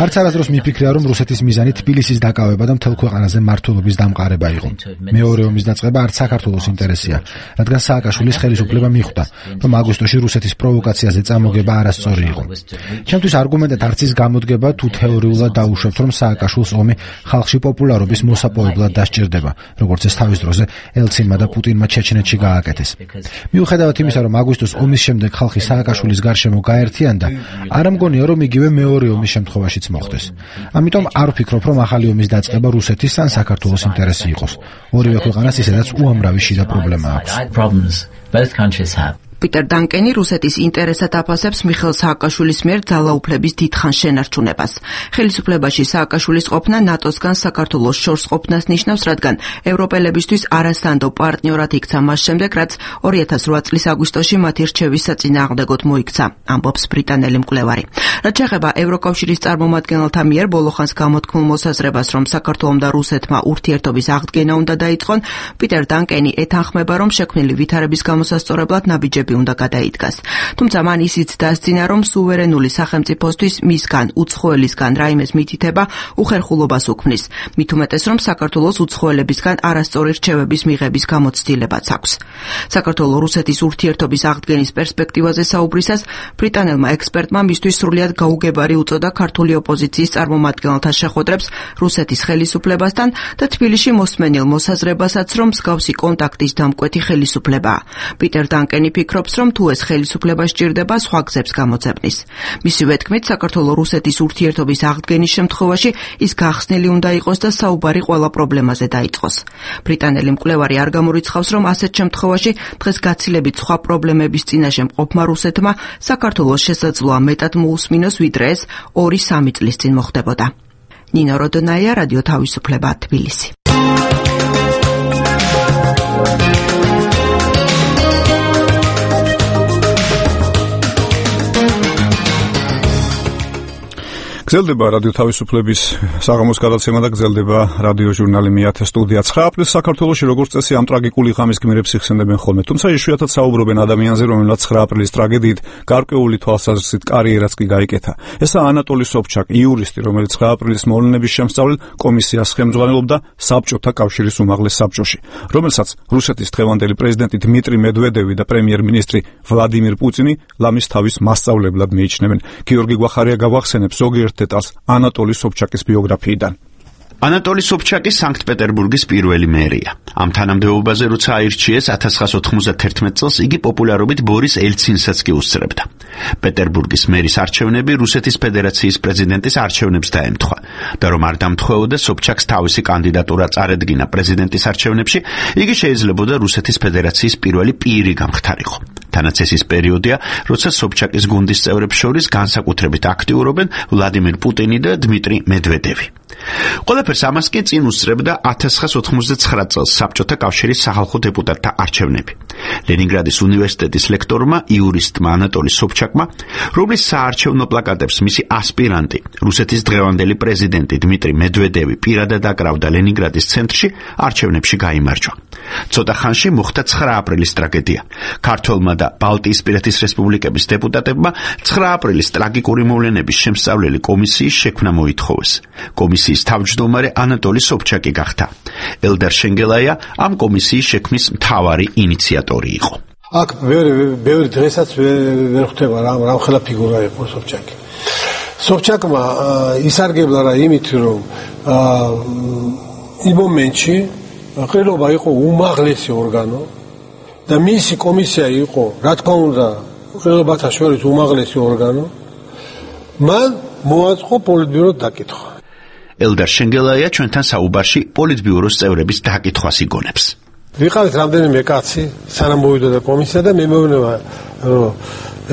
არც არასდროს მიფიქრია, რომ რუსეთის მიზანი თბილისის დაკავება და მთელ ქვეყანაზე მმართველობის დამყარება იყო. მეორე ომის დაწყება არც საქართველოს ინტერესია, რადგან სააკაშვილის ხელისუფლება მიხვდა, რომ აგვისტოში რუსეთის პროვოკაციაზე წამოგება არასწორი იყო. ჩემთვის არგუმენტად არც ის გამოდგება, თუ თეორიულად დაუშვებთ, რომ სააკაშვილს ომი ხალხში პოპულარობის მოსაპოვებლად დასჭირდება, როგორც ეს თავის დროზე ელცინმა და პუტინმა ჩეჩნეთში გააკეთეს. მიუხედავად იმისა, რომ აგვისტოს ომის შემდეგ ხალხი სააკაშვილის გარშემო გაერთიანდა, არ მგონია, რომ იგივე მეორე ომის შემთხვევაშიც მოხდეს. ამიტომ არ ვფიქრობ, რომ ახალი ომის დაწყება რუსეთის ან საქართველოს ინტერესი იყოს. ორივე ქვეყანას ისედაც უამრავი შიდა პრობლემა აქვს. პიტერ დანკენი რუსეთის ინტერესად აფასებს მიხეილ სააკაშვილის მიერ ძალაუფლების დიდხან შენარჩუნებას. ხელისუფლებაში სააკაშვილის ყოფნა ნატოსგან საქართველოს შორს ყოფნას ნიშნავს, რადგან ევროპელებისთვის არასანდო პარტნიორად იქცა მას შემდეგ, რაც 2008 წლის აგვისტოში მათი რჩევის საწინააღმდეგოდ მოიქცა, ამბობს ბრიტანელი მკვლევარი. რაც შეეხება ევროკავშირის წარმომადგენელთა მიერ ბოლოხანს გამოთქმულ მოსაზრებას, რომ საქართველომ და რუსეთმა ურთიერთობის აღდგენა უნდა დაიწყონ, პიტერ დანკენი ეთანხმება, რომ შექმნილი ვითარების გამოსასწორებლად ნაბიჯები უნდა გადაიდგას. თუმცა მან ისიც დასძინა, რომ სუვერენული სახელმწიფოსთვის მისგან უცხოელისგან რაიმეს მითითება უხერხულობას უქმნის. მით უმეტეს, რომ საქართველოს უცხოელებისგან არასწორი რჩევების მიღების გამოცდილებაც აქვს. საქართველოს-რუსეთის ურთიერთობის აღდგენის პერსპექტივაზე საუბრისას ბრიტანელმა ექსპერტმა მისთვის სრულიად გაუგებარი უწოდა ქართული ოპოზიციის წარმომადგენელთა შეხვედრებს რუსეთის ხელისუფლებასთან და თბილისში მოსმენილ მოსაზრებასაც, რომ მსგავსი კონტაქტის დამკვეთი ხელისუფლებაა. პიტერ დანკენი ფიქრობს, რომ თუ ეს ხელისუფლება სჭირდება, სხვა გზებს გამოძებნის. მისივე თქმით, საქართველოს-რუსეთის ურთიერთობის აღდგენის შემთხვევაში ის გახსნილი უნდა იყოს და საუბარი ყველა პრობლემაზე დაიწყოს. ბრიტანელი მკვლევარი არ გამორიცხავს, რომ ასეთ შემთხვევაში დღეს გაცილებით სხვა პრობლემების წინაშე მყოფმა რუსეთმა საქართველოს შესაძლოა მეტად მოусმინოს, ვიდრე ეს 2-3 წლის წინ მოხდებოდა. ნინო როდონაია, რადიო თავისუფლება, თბილისი. გრძელდება რადიო თავისუფლების საღამოს გადაცემა და გრძელდება რადიო ჟურნალი მეათე სტუდია. 9 აპრილს საქართველოში როგორც წესი ამ ტრაგიკული ღამის გმირებს იხსენებენ ხოლმე. თუმცა იშვიათად საუბრობენ ადამიანზე, რომელსაც 9 აპრილის ტრაგედიით გარკვეული თვალსაზრისით კარიერაც კი გაიკეთა. ესაა ანატოლი სობჩაკ, იურისტი, რომელიც 9 აპრილის მოვლენების შემსწავლელ კომისიას ხელმძღვანელობდა საბჭოთა კავშირის უმაღლეს საბჭოში, რომელსაც რუსეთის დღევანდელი პრეზიდენტი დმიტრი მედვედევი და პრემიერ-მინისტრი ვლადიმირ პუტინი ლამის თავის მასწავლებლად მიიჩნევენ. გიორგი გვახარია გავახსენებს ზოგიერთ დეტალს ანატოლი სობჩაკის ბიოგრაფიიდან. ანატოლი სობჩაკი სანქტ-პეტერბურგის პირველი მერია. ამ თანამდებობაზე როცა აირჩიეს 1991 წელს, იგი პოპულარობით ბორის ელცინსაც კი უსწრებდა. პეტერბურგის მერის არჩევნები რუსეთის ფედერაციის პრეზიდენტის არჩევნებს დაემთხვა და რომ არ დამთხვეოდა სობჩაკს თავისი კანდიდატურა წარედგინა პრეზიდენტის არჩევნებში, იგი შეიძლებოდა რუსეთის ფედერაციის პირველი პირი გამხდარიყო. თანაც ეს ის პერიოდია, როცა სობჩაკის გუნდის წევრებს შორის განსაკუთრებით აქტიურობენ ვლადიმირ პუტინი და დმიტრი მედვედევი. ყველაფერს ამას კი წინ უსწრებდა 1989 წელს საბჭოთა კავშირის სახალხო დეპუტატთა არჩევნები. ლენინგრადის უნივერსიტეტის ლექტორმა იურისტმა ანატოლი სობჩაკმა, რომლის საარჩევნო პლაკატებს მისი ასპირანტი, რუსეთის დღევანდელი პრეზიდენტი დმიტრი მედვედევი პირადად აკრავდა ლენინგრადის ცენტრში, არჩევნებში გაიმარჯვა. ცოტა ხანში მოხდა 9 აპრილის ტრაგედია. ქართველმა და ბალტიისპირეთის რესპუბლიკების დეპუტატებმა 9 აპრილის ტრაგიკური მოვლენების შემსწავლელი კომისიის შექმნა მოითხოვეს. კომისიის თავმჯდომარე ანატოლი სობჩაკი გახდა. ელდარ შენგელაია ამ კომისიის შექმნის მთავარი ინიციატორი იყო. აქ ბევრი დღესაც ვერ ხვდება რამ ხელა ფიგურა იყო სობჩაკი. სობჩაკმა ისარგებლა რა იმით, რომ იმ მომენტში ყრილობა იყო უმაღლესი ორგანო და მისი კომისია იყო, რა თქმა უნდა, ყრილობათა შორის უმაღლესი ორგანო. მან მოაწყო პოლიტბიუროს დაკითხვა. ელდარ შენგელაია ჩვენთან საუბარში პოლიტბიუროს წევრების დაკითხვას იგონებს. ვიყავით რამდენიმე კაცი, სანამ მოვიდოდა კომისია და მე მეუბნება, რომ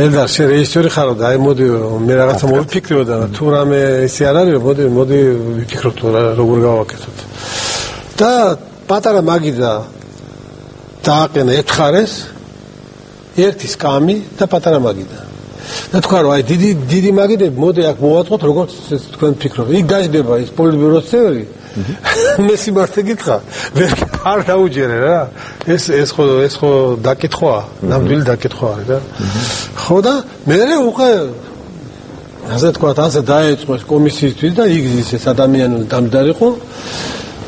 ელდარ შენ რეჟისორი ხარო და აი მოდი მე რაღაცა მოვიფიქრებოდა და თუ რამე ისე არ არის, მოდი ვიფიქროთ როგორ გავაკეთოთ. და პატარა მაგიდა დააყენა ეთხარეს ერთი სკამი და პატარა მაგიდა. და თქვა რომ აი დიდი მაგიდები მოდი აქ მოვაწყოთ როგორც თქვენ ფიქრობთ. იქ გაждდება ის პოლიტბიუროს წევრი. მე სიმართლე გითხრა, ვერ დაუჯერე რა. ეს ხო დაკითხვაა, ნამდვილი დაკითხვა არის რა. ხო და მე უკვე ასე თქვა, ასე დაეწყო ეს კომისიისთვის და იგზის ეს ადამიანური დამჯდარიყო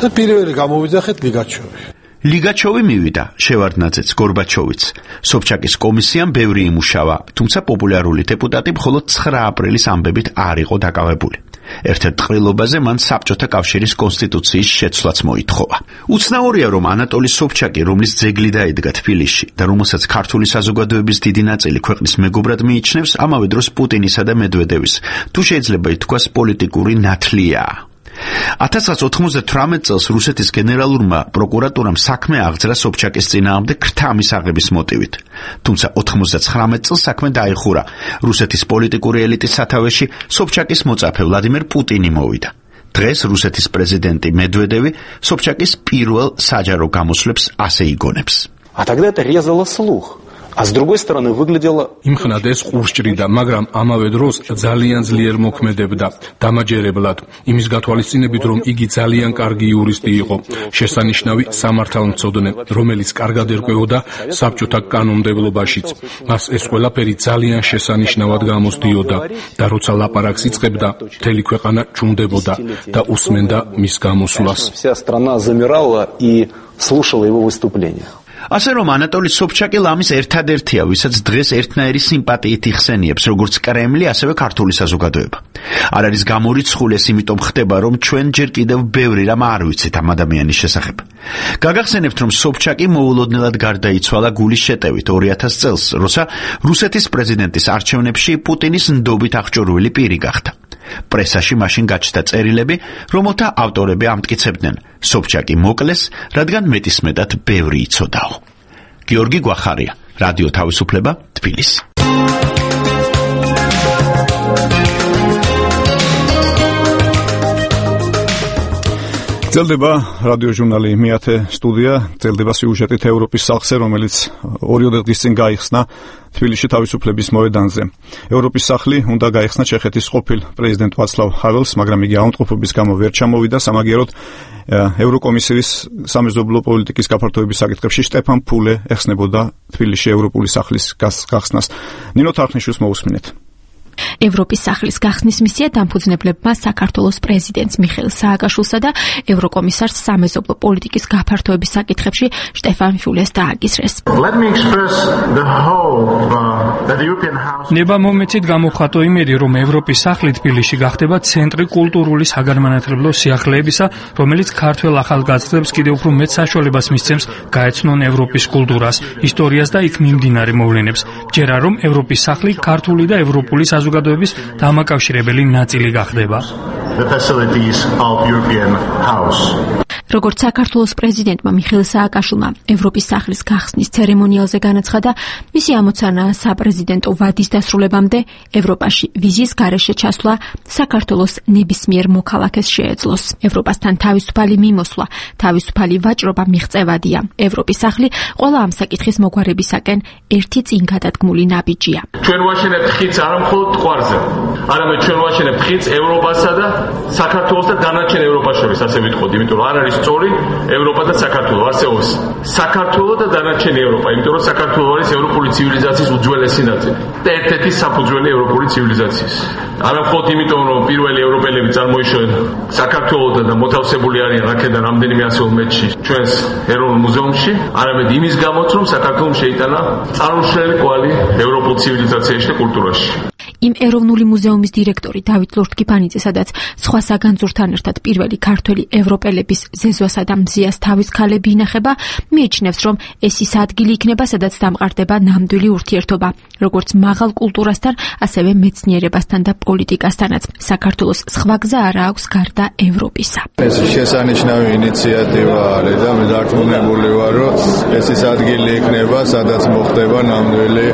და პირველი გამოვიძახეთ ლიგაჩოვი. ლიგაჩოვი მივიდა, შევარდნაძეც, გორბაჩოვიც. სობჩაკის კომისიამ ბევრი იმუშავა, თუმცა პოპულარული დეპუტატი მხოლოდ 9 აპრილის ამბებით არ იყო დაკავებული. ერთ-ერთ ყრილობაზე მან საბჭოთა კავშირის კონსტიტუციის შეცვლაც მოითხოვა. უცნაურია, რომ ანატოლი სობჩაკი, რომლის ძეგლი დაიდგა თბილისში და რომელსაც ქართული საზოგადოების დიდი ნაწილი ქვეყნის მეგობრად მიიჩნევს, ამავე დროს პუტინისა და მედვედევის, თუ შეიძლება ითქვას პოლიტიკური ნათლიაა. 1998 წელს რუსეთის გენერალურმა პროკურატურამ საქმე აღძრა სობჩაკის წინააღმდეგ ქრთა მისაღების მოტივით. თუმცა 99 წელს საქმე დაიხურა. რუსეთის პოლიტიკური ელიტის სათავეში სობჩაკის მოწაფე ვლადიმირ პუტინი მოვიდა. დღეს რუსეთის პრეზიდენტი მედვედევი სობჩაკის პირველ საჯარო გამოსვლებს ასე იგონებს. А тогда это резало слух. А с другой стороны выглядело იმხნად ეს ყურსჭრიდა, მაგრამ ამავე დროს ძალიან ძლიერ მოქმედებდა დამაჯერებლად, იმის გათვალისწინებით, რომ იგი ძალიან კარგი იურისტი იყო, შესანიშნავი სამართალმცოდნე, რომელიც კარგად ერკვეოდა საბჭოთა კანონმდებლობაშიც. მას ეს ყველაფერი ძალიან შესანიშნავად გამოსდიოდა და როცა ლაპარაკს იწყებდა, მთელი ქვეყანა ჭუნდებოდა და უსმენდა მის გამოსვლას. Вся страна замирала и слушала его выступления. ასე რომ ანატოლი სობჩაკი ლამის ერთადერთია, ვისაც დღეს ერთნაირი სიმპათიით იხსენიებს როგორც კრემლი, ასევე ქართული საზოგადოება. არ არის გამორიცხული ეს იმიტომ ხდება, რომ ჩვენ ჯერ კიდევ ბევრი რამ არ ვიცით ამ ადამიანის შესახებ. გაგახსენებთ, რომ სობჩაკი მოულოდნელად გარდაიცვალა გულის შეტევით 2000 წელს, როცა რუსეთის პრეზიდენტის არჩევნებში პუტინის ნდობით აღჭურვილი პირი გახდა. პრესაში მაშინ გაჩნდა წერილები, რომელთა ავტორები ამტკიცებდნენ, სობჩაკი მოკლეს, რადგან მეტისმეტად ბევრი იცოდაო. გიორგი გვახარია, რადიო თავისუფლება, თბილისი. ძლდება რადიო ჟურნალი მეათე სტუდია, ძლდება სიუჟეტით ევროპის სახლზე, რომელიც 2 დღის წინ გაიხსნა თბილისში თავისუფლების მოედანზე. ევროპის სახლი უნდა გაიხსნა ჩეხეთის ყოფილ პრეზიდენტ ვაცლავ ჰაველს, მაგრამ იგი აუნტყოფობის გამო ვერ ჩამოვიდა. სამაგიეროდ ევროკომისიის სამეზობლო პოლიტიკის გაფართოების საკითხებში შტეფან ფულე ეხსნებოდა თბილისში ევროპული სახლის გახსნას. ნინო თარხნიშვილს მოусმინეთ. ევროპის სახლის გახსნის მისია დამფუძნებლებმა საქართველოს პრეზიდენტს მიხეილ სააკაშვილსა და ევროკომისარს სამეზობლო პოლიტიკის გაფართოების საკითხებში შტეფან ფიულეს დააკისრეს. ნება მომეცით გამოვხატო იმედი, რომ ევროპის სახლი თბილისში გახდება ცენტრი კულტურული საგანმანათლებლო სიახლეებისა, რომელიც ქართველ ახალგაზრდებს კიდევ უფრო მეტ საშუალებას მისცემს გაეცნონ ევროპის კულტურას, ისტორიას და იქ მიმდინარე მოვლენებს. ჯერა რომ ევროპის სახლი ქართული და ევროპული საზოგადოების დამაკავშირებელი ნაწილი გახდება. როგორც საქართველოს პრეზიდენტმა მიხეილ სააკაშვილმა ევროპის სახლის გახსნის ცერემონიალზე განაცხადა, მისი ამოცანაა საპრეზიდენტო ვადის დასრულებამდე ევროპაში ვიზის გარეშე ჩასვლა საქართველოს ნებისმიერ მოქალაქეს შეეძლოს. ევროპასთან თავისუფალი მიმოსვლა, თავისუფალი ვაჭრობა მიღწევადია. ევროპის სახლი ყველა ამ საკითხის მოგვარებისაკენ ერთი წინ გადადგმული ნაბიჯია. ჩვენ ვაშენებთ ხიდს არა მხოლოდ ტყვარზე, არამედ ჩვენ ვაშენებთ ხიდს ევროპასა და საქართველოს და დანარჩენ ევროპას შორის, ასე ვიტყოდი, იმიტომ რომ არ არის სწორი ევროპა და საქართველო, არსებობს საქართველო და დანარჩენი ევროპა, იმიტომ რომ საქართველო არის ევროპული ცივილიზაციის უძველესი ნაწილი და ერთ-ერთი საფუძველი ევროპული ცივილიზაციის. არა მხოლოდ იმიტომ რომ პირველი ევროპელები წარმოიშოვენ საქართველოდან და მოთავსებული არიან აქედან რამდენიმე ასეულ მეტში ჩვენს ეროვნულ მუზეუმში, არამედ იმის გამოც რომ საქართველოს შეიტანა წარმომშრელი კვალი ევროპულ ცივილიზაციაში და კულტურაში. იმ ეროვნული მუზეუმის დირექტორი დავით ლორთქიფანიძე, სადაც სხვა საგანძურთან ერთად პირველი ქართველი ევროპელების ზეზვასა და მზიას თავის ქალები ინახება, მიიჩნევს, რომ ეს ის ადგილი იქნება, სადაც დამყარდება ნამდვილი ურთიერთობა, როგორც მაღალ კულტურასთან, ასევე მეცნიერებასთან და პოლიტიკასთანაც. საქართველოს სხვა გზა არ აქვს გარდა ევროპისა. ეს შესანიშნავი ინიციატივა არის და მე დარწმუნებული ვარ, რომ ეს ის ადგილი იქნება, სადაც მოხდება ნამდვილი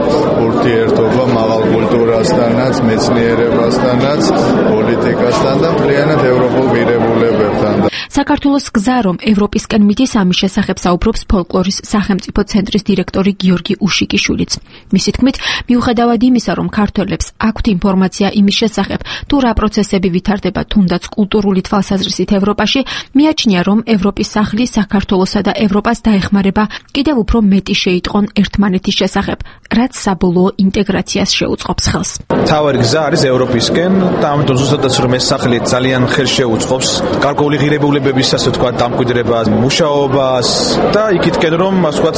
ურთიერთობა მაღალ კულტურასთან, მეცნიერებასთანაც, პოლიტიკასთან და მთლიანად ევროპულ ღირებულებებთან. საქართველოს გზა, რომ ევროპისკენ მიდის, ამის შესახებ საუბრობს ფოლკლორის სახელმწიფო ცენტრის დირექტორი გიორგი უშიკიშვილიც. მისი თქმით, მიუხედავად იმისა, რომ ქართველებს აქვთ ინფორმაცია იმის შესახებ, თუ რა პროცესები ვითარდება თუნდაც კულტურული თვალსაზრისით ევროპაში, მიაჩნია, რომ ევროპის სახლი საქართველოსა და ევროპას დაეხმარება კიდევ უფრო მეტი შეიტყონ ერთმანეთის შესახებ, რაც საბოლოო ინტეგრაციას შეუწყობს ხელს. თავარი გზა არის ევროპისკენ და ამიტომ ზუსტადაც რომ ეს სახლი ძალიან ხელს შეუწყობს გარკვეული ღირებულებების, ასე ვთქვათ, დამკვიდრებას, მუშაობას და იქითკენ რომ, ასე ვთქვათ,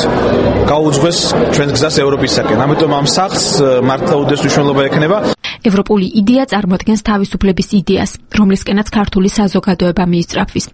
გაუძღვეს ჩვენს გზას ევროპისაკენ. ამიტომ ამ სახლს მართლა უდიდეს მნიშვნელობა ექნება. ევროპული იდეა წარმოადგენს თავისუფლების იდეას, რომლისკენაც ქართული საზოგადოება მიისწრაფვის.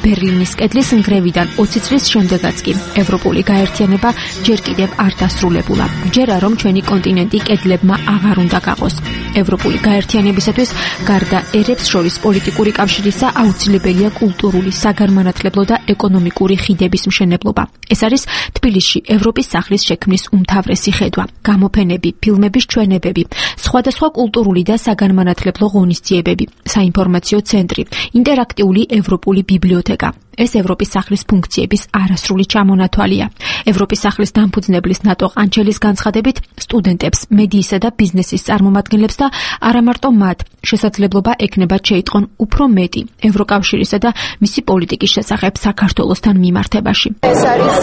ბერლინის კედლის ნგრევიდან 20 წლის შემდეგაც კი ევროპული გაერთიანება ჯერ კიდევ არ დასრულებულა. ჯერა რომ ჩვენი კონტინენტი კედლებმა აღარ უნდა გაყოს. ევროპული გაერთიანებისათვის გარდა ერებს შორის პოლიტიკური კავშირისა აუცილებელია კულტურული, საგანმანათლებლო და ეკონომიკური ხიდების მშენებლობა. ეს არის თბილისში ევროპის სახლის შექმნის უმთავრესი ხედვა. გამოფენები, ფილმების ჩვენებები, სხვადასხვა კულტურული და საგანმანათლებლო ღონისძიებები, საინფორმაციო ცენტრი, ინტერაქტიული ევროპული ბიბლიოთეკა. ეს ევროპის სახლის ფუნქციების არასრული ჩამონათვალია. ევროპის სახლის დამფუძნებლის ნატო ყანჩელის განცხადებით, სტუდენტებს, მედიისა და ბიზნესის წარმომადგენლებს და არა მარტო მათ შესაძლებლობა ექნებათ შეიტყონ უფრო მეტი ევროკავშირისა და მისი პოლიტიკის შესახებ საქართველოსთან მიმართებაში. ეს არის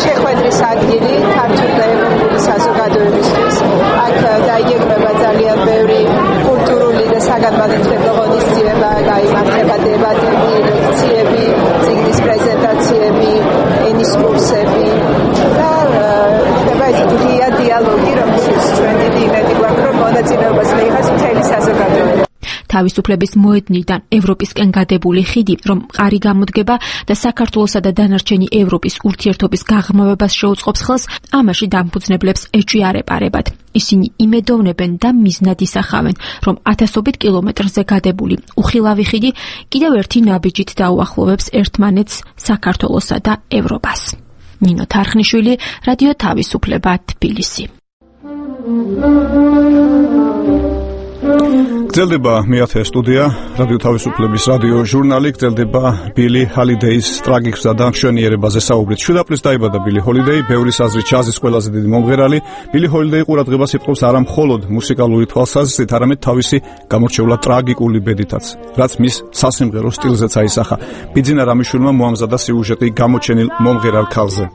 შეხვედრის ადგილი ქართული და ევროპული საზოგადოებისთვის. აქ დაიგეგმება ძალიან ბევრი კულტურული და საგანმანათლებლო ღონისძიება, გაიმართება დებატები, ლექციები, ციგნის პრეზენტაციები, ენის კურსები და ხდება ეს ღია დიალოგი, რომელშიც ჩვენ დიდი იმედი გვაქვს, რომ მონაწილეობას მიიღოს მთელი საზოგადოება. თავისუფლების მოედნიდან ევროპისკენ გადებული ხიდი, რომ მყარი გამოდგება და საქართველოსა და დანარჩენი ევროპის ურთიერთობის გაღრმავებას შეუწყობს ხელს, ამაში დამფუძნებლებს ეჭვიარებარებად. ისინი იმედოვნებენ და მიზნად ისახავენ, რომ ათასობით კილომეტრზე გადებული უხილავი ხიდი კიდევ ერთი ნაბიჯით დაუახლოვებს ერთმანეთს, საქართველოსა და ევროპას. ნინო თარხნიშვილი, რადიო თავისუფლება, თბილისი. გრძელდება მეათე სტუდია, რადიო თავისუფლების რადიო ჟურნალი, გრძელდება ბილი ჰოლიდეის ტრაგიკსა და მშვენიერებაზე საუბრით. 7 აპრილს დაიბადა ბილი ჰოლიდეი, ბევრის აზრით ჯაზის ყველაზე დიდი მომღერალი. ბილი ჰოლიდეი ყურადღებას იპყრობს არა მხოლოდ მუსიკალური თვალსაზრისით, არამედ თავისი გამორჩეულად ტრაგიკული ბედითაც, რაც მის სასიმღერო სტილზეც აისახა. ბიძინა რამიშვილმა მოამზადა სიუჟეტი გამოჩენილ მომღერალ ქალზე.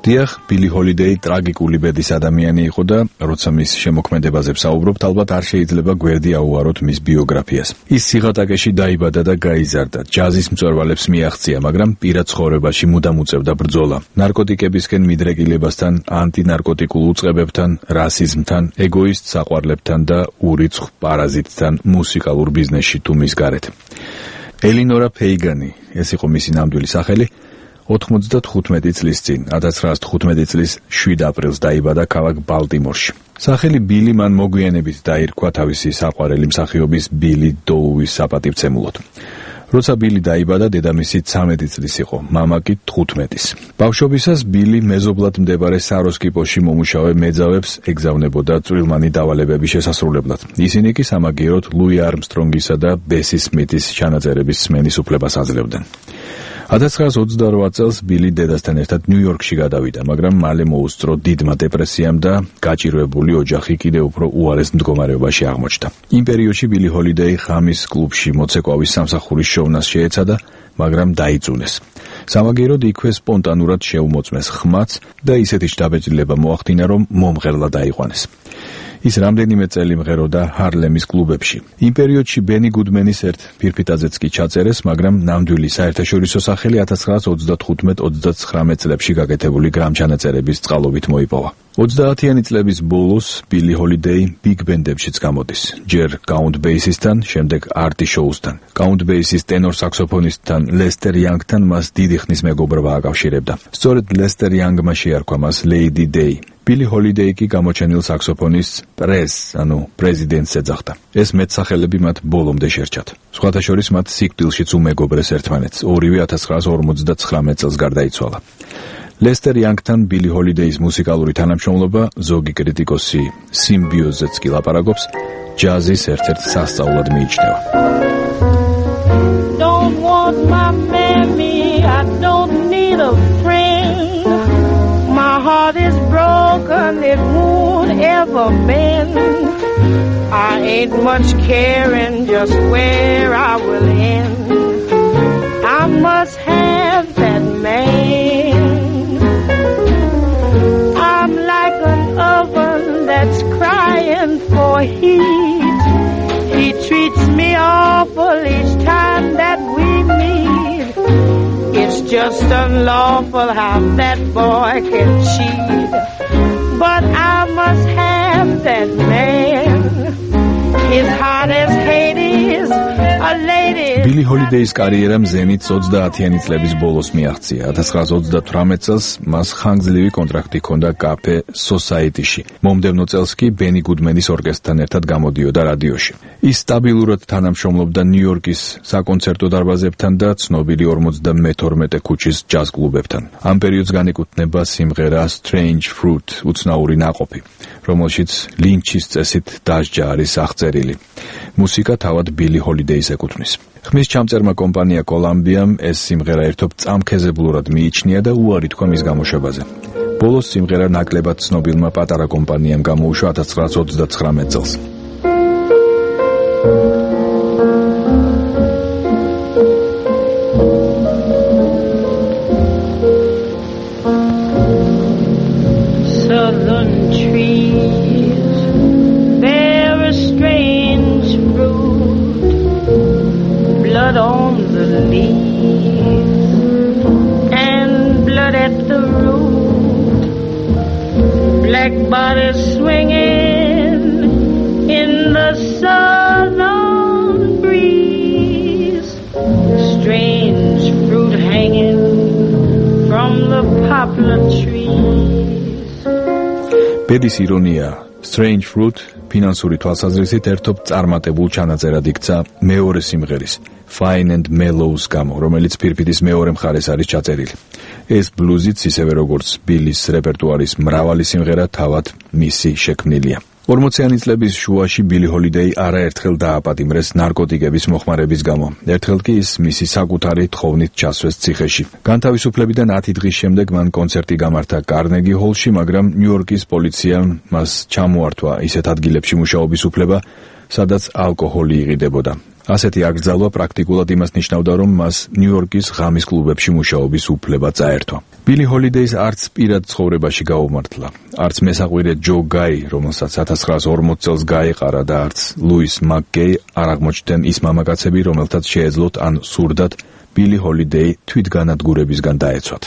დიახ, ბილი ჰოლიდეი ტრაგიკული ბედის ადამიანი იყო და როცა მის შემოქმედებაზე ვსაუბრობთ, ალბათ არ შეიძლება გვერდი აუაროთ მის ბიოგრაფიას. ის სიღატაკეში დაიბადა და გაიზარდა. ჯაზის მწვერვალებს მიაღწია, მაგრამ პირად ცხოვრებაში მუდამ უწევდა ბრძოლა. ნარკოტიკებისკენ მიდრეკილებასთან, ანტინარკოტიკულ უწყებებთან, რასიზმთან, ეგოისტ საყვარლებთან და ურიცხ პარაზიტთან მუსიკალურ ბიზნესში თუ მის გარეთ. ელინორა ფეიგანი, ეს იყო მისი ნამდვილი სახელი. 95 წლის წინ, 1915 წლის 7 აპრილს დაიბადა ქალაქ ბალტიმორში. სახელი ბილი მან მოგვიანებით დაირქვა თავისი საყვარელი მსახიობის ბილი დოუის საპატივცემულოდ. როცა ბილი დაიბადა, დედამისი 13 წლის იყო, მამა კი 15-ის. ბავშვობისას ბილი მეზობლად მდებარე საროსკიპოში მომუშავე მეძავებს ეგზავნებოდა წვრილმანი დავალებების შესასრულებლად. ისინი კი სამაგიეროდ ლუი არმსტრონგისა და ბესი სმითის ჩანაწერების სმენის უფლებას აძლევდნენ. 1928 წელს ბილი დედასთან ერთად ნიუ-იორკში გადავიდა, მაგრამ მალე მოუსწრო დიდმა დეპრესიამ და გაჭირვებული ოჯახი კიდევ უფრო უარეს მდგომარეობაში აღმოჩნდა. იმ პერიოდში ბილი ჰოლიდეი ღამის კლუბში მოცეკვავის სამსახურის შოვნას შეეცადა, მაგრამ დაიწუნეს. სამაგიეროდ იქვე სპონტანურად შეუმოწმეს ხმაც და ისეთი შთაბეჭდილება მოახდინა, რომ მომღერლად დაიყვანეს. ის რამდენიმე წელი მღეროდა ჰარლემის კლუბებში. იმ პერიოდში ბენი გუდმენის ერთ ფირფიტაძეც კი ჩაწერეს, მაგრამ ნამდვილი საერთაშორისო სახელი 1935-39 წლებში გაკეთებული გრამჩანაწერების წყალობით მოიპოვა. 30-იანი წლების ბოლოს ბილი ჰოლიდეი ბიგ ბენდებშიც გამოდის. ჯერ კაუნტ ბეისისთან, შემდეგ არტი შოუსთან. კაუნტ ბეისის ტენორ საქსოფონისტთან ლესტერ იანგთან მას დიდი ხნის მეგობრობა აკავშირებდა. სწორედ ლესტერ იანგმა შეარქვა მას ლეიდი დეი. ბილი ჰოლიდეი კი გამოჩენილ საქსოფონისტს პრეზიდენტს ეძახდა. ეს მეტსახელები მათ ბოლომდე შერჩათ. სხვათა შორის მათ სიკვდილშიც უმეგობრეს ერთმანეთს. ორივე 1959 წელს გარდაიცვალა. ლესტერ იანგთან ბილი ჰოლიდეის მუსიკალური თანამშრომლობა, ზოგი კრიტიკოსი სიმბიოზეც კი ლაპარაკობს, ჯაზის ერთ-ერთ სასწაულად მიიჩნევა. Don't want my mammy, I don't need a friend. My heart is broken, it won't ever mend. I ain't much caring just where I will end. I must have that man. I'm like an oven that's crying for heat. He treats me awful each time that we meet. It's just unlawful how that boy can cheat. But I must have that man. His heart is Hades, a lady. ბილი ჰოლიდეის კარიერა მზემით 30-იანი წლების ბოლოს მიაღწია. 1938 წელს მას ხანგრძლივი კონტრაქტი ჰქონდა კაფე სოსაიტიში. მომდევნო წელს კი ბენი გუდმენის ორკესტრთან ერთად გამოდიოდა რადიოში. ის სტაბილურად თანამშრომლობდა ნიუ-იორკის საკონცერტო დარბაზებთან და ცნობილი 52 ქუჩის ჯაზ კლუბებთან. ამ პერიოდს განეკუთვნება სიმღერა Strange Fruit, უცნაური ნაყოფი, რომელშიც ლინჩის წესით დასჯა არის აღწერილი. მუსიკა თავად ბილი ჰოლიდეის ეკუთვნის. ხმის ჩამწერმა კომპანია კოლამბიამ ეს სიმღერა ერთობ წამქეზებლურად მიიჩნია და უარი თქვა მის გამოშვებაზე. ბოლოს სიმღერა ნაკლებად ცნობილმა პატარა კომპანიამ გამოუშვა 1939 წელს. Southern trees bear a strange fruit, blood on the leaves and blood at the root, black bodies swinging in the southern breeze, strange fruit hanging from the poplar trees. ბედის ირონია, Strange Fruit ფინანსური თვალსაზრისით ერთობ წარმატებულ ჩანაწერად იქცა მეორე სიმღერის Fine and Mellow-ს გამო, რომელიც ფირფიტის მეორე მხარეს არის ჩაწერილი. ეს ბლუზიც ისევე როგორც ბილის რეპერტუარის მრავალი სიმღერა თავად მისი შექმნილია. 40-იანი წლების შუაში ბილი ჰოლიდეი არაერთხელ დააპატიმრეს ნარკოტიკების მოხმარების გამო. ერთხელ კი ის მისი საკუთარი თხოვნით ჩასვეს ციხეში. განთავისუფლებიდან 10 დღის შემდეგ მან კონცერტი გამართა კარნეგი ჰოლში, მაგრამ ნიუ-იორკის პოლიციამ მას ჩამოართვა ისეთ ადგილებში მუშაობის უფლება, სადაც ალკოჰოლი იყიდებოდა. ასეთი აკრძალვა პრაქტიკულად იმას ნიშნავდა, რომ მას ნიუ-იორკის ღამის კლუბებში მუშაობის უფლება წაერთვა. ბილი ჰოლიდეის არც პირად ცხოვრებაში გაუმართლა, არც მესაყვირე ჯო გაი, რომელსაც 1940 წელს გაეყარა და არც ლუის მაკგეი არ აღმოჩნდნენ ის მამაკაცები, რომელთაც შეეძლოთ ან სურდათ ბილი ჰოლიდეი თვითგანადგურებისგან დაეცვათ.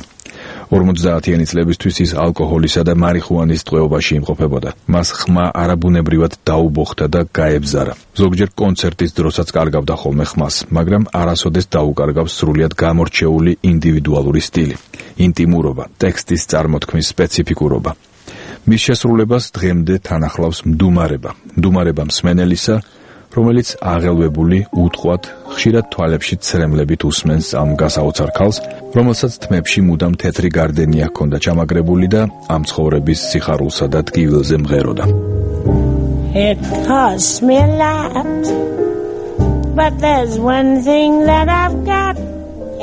50-იანი წლებისთვის ის ალკოჰოლისა და მარიხუანის ტყვეობაში იმყოფებოდა. მას ხმა არაბუნებრივად დაუბოხდა და გაებზარა. ზოგჯერ კონცერტის დროსაც კარგავდა ხოლმე ხმას, მაგრამ არასოდეს დაუკარგავს სრულიად გამორჩეული ინდივიდუალური სტილი, ინტიმურობა, ტექსტის წარმოთქმის სპეციფიკურობა. მის შესრულებას დღემდე თან ახლავს მდუმარება მსმენელისა, რომელიც აღელვებული, უთხვად, ხშირად თვალებში ცრემლებით უსმენს ამ გასაოცარ ქალს, რომელსაც თმებში მუდამ თეთრი გარდენი ჰქონდა ჩამაგრებული და ამ ცხოვრების სიხარულსა და ტკივილზე მღეროდა. It costs me a lot, but there's one thing that I've got,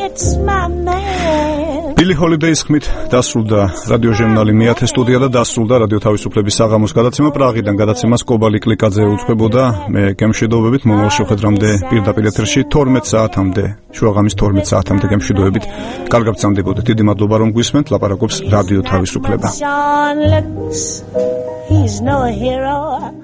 it's my man. ბილი ჰოლიდეის ხმით დასრულდა რადიოჟურნალი მეათე სტუდია და დასრულდა რადიო თავისუფლების საღამოს გადაცემა. პრაღიდან გადაცემას კობალი კლიკაძე უძღვებოდა. მე გემშვიდობებით მომავალ შეხვედრამდე პირდაპირ ეთერში 12 საათამდე, შუაღამის 12 საათამდე გემშვიდობებით. კარგად გრძანდებოდეთ. დიდი მადლობა რომ გვისმენთ. ლაპარაკობს რადიო თავისუფლება. He's no hero.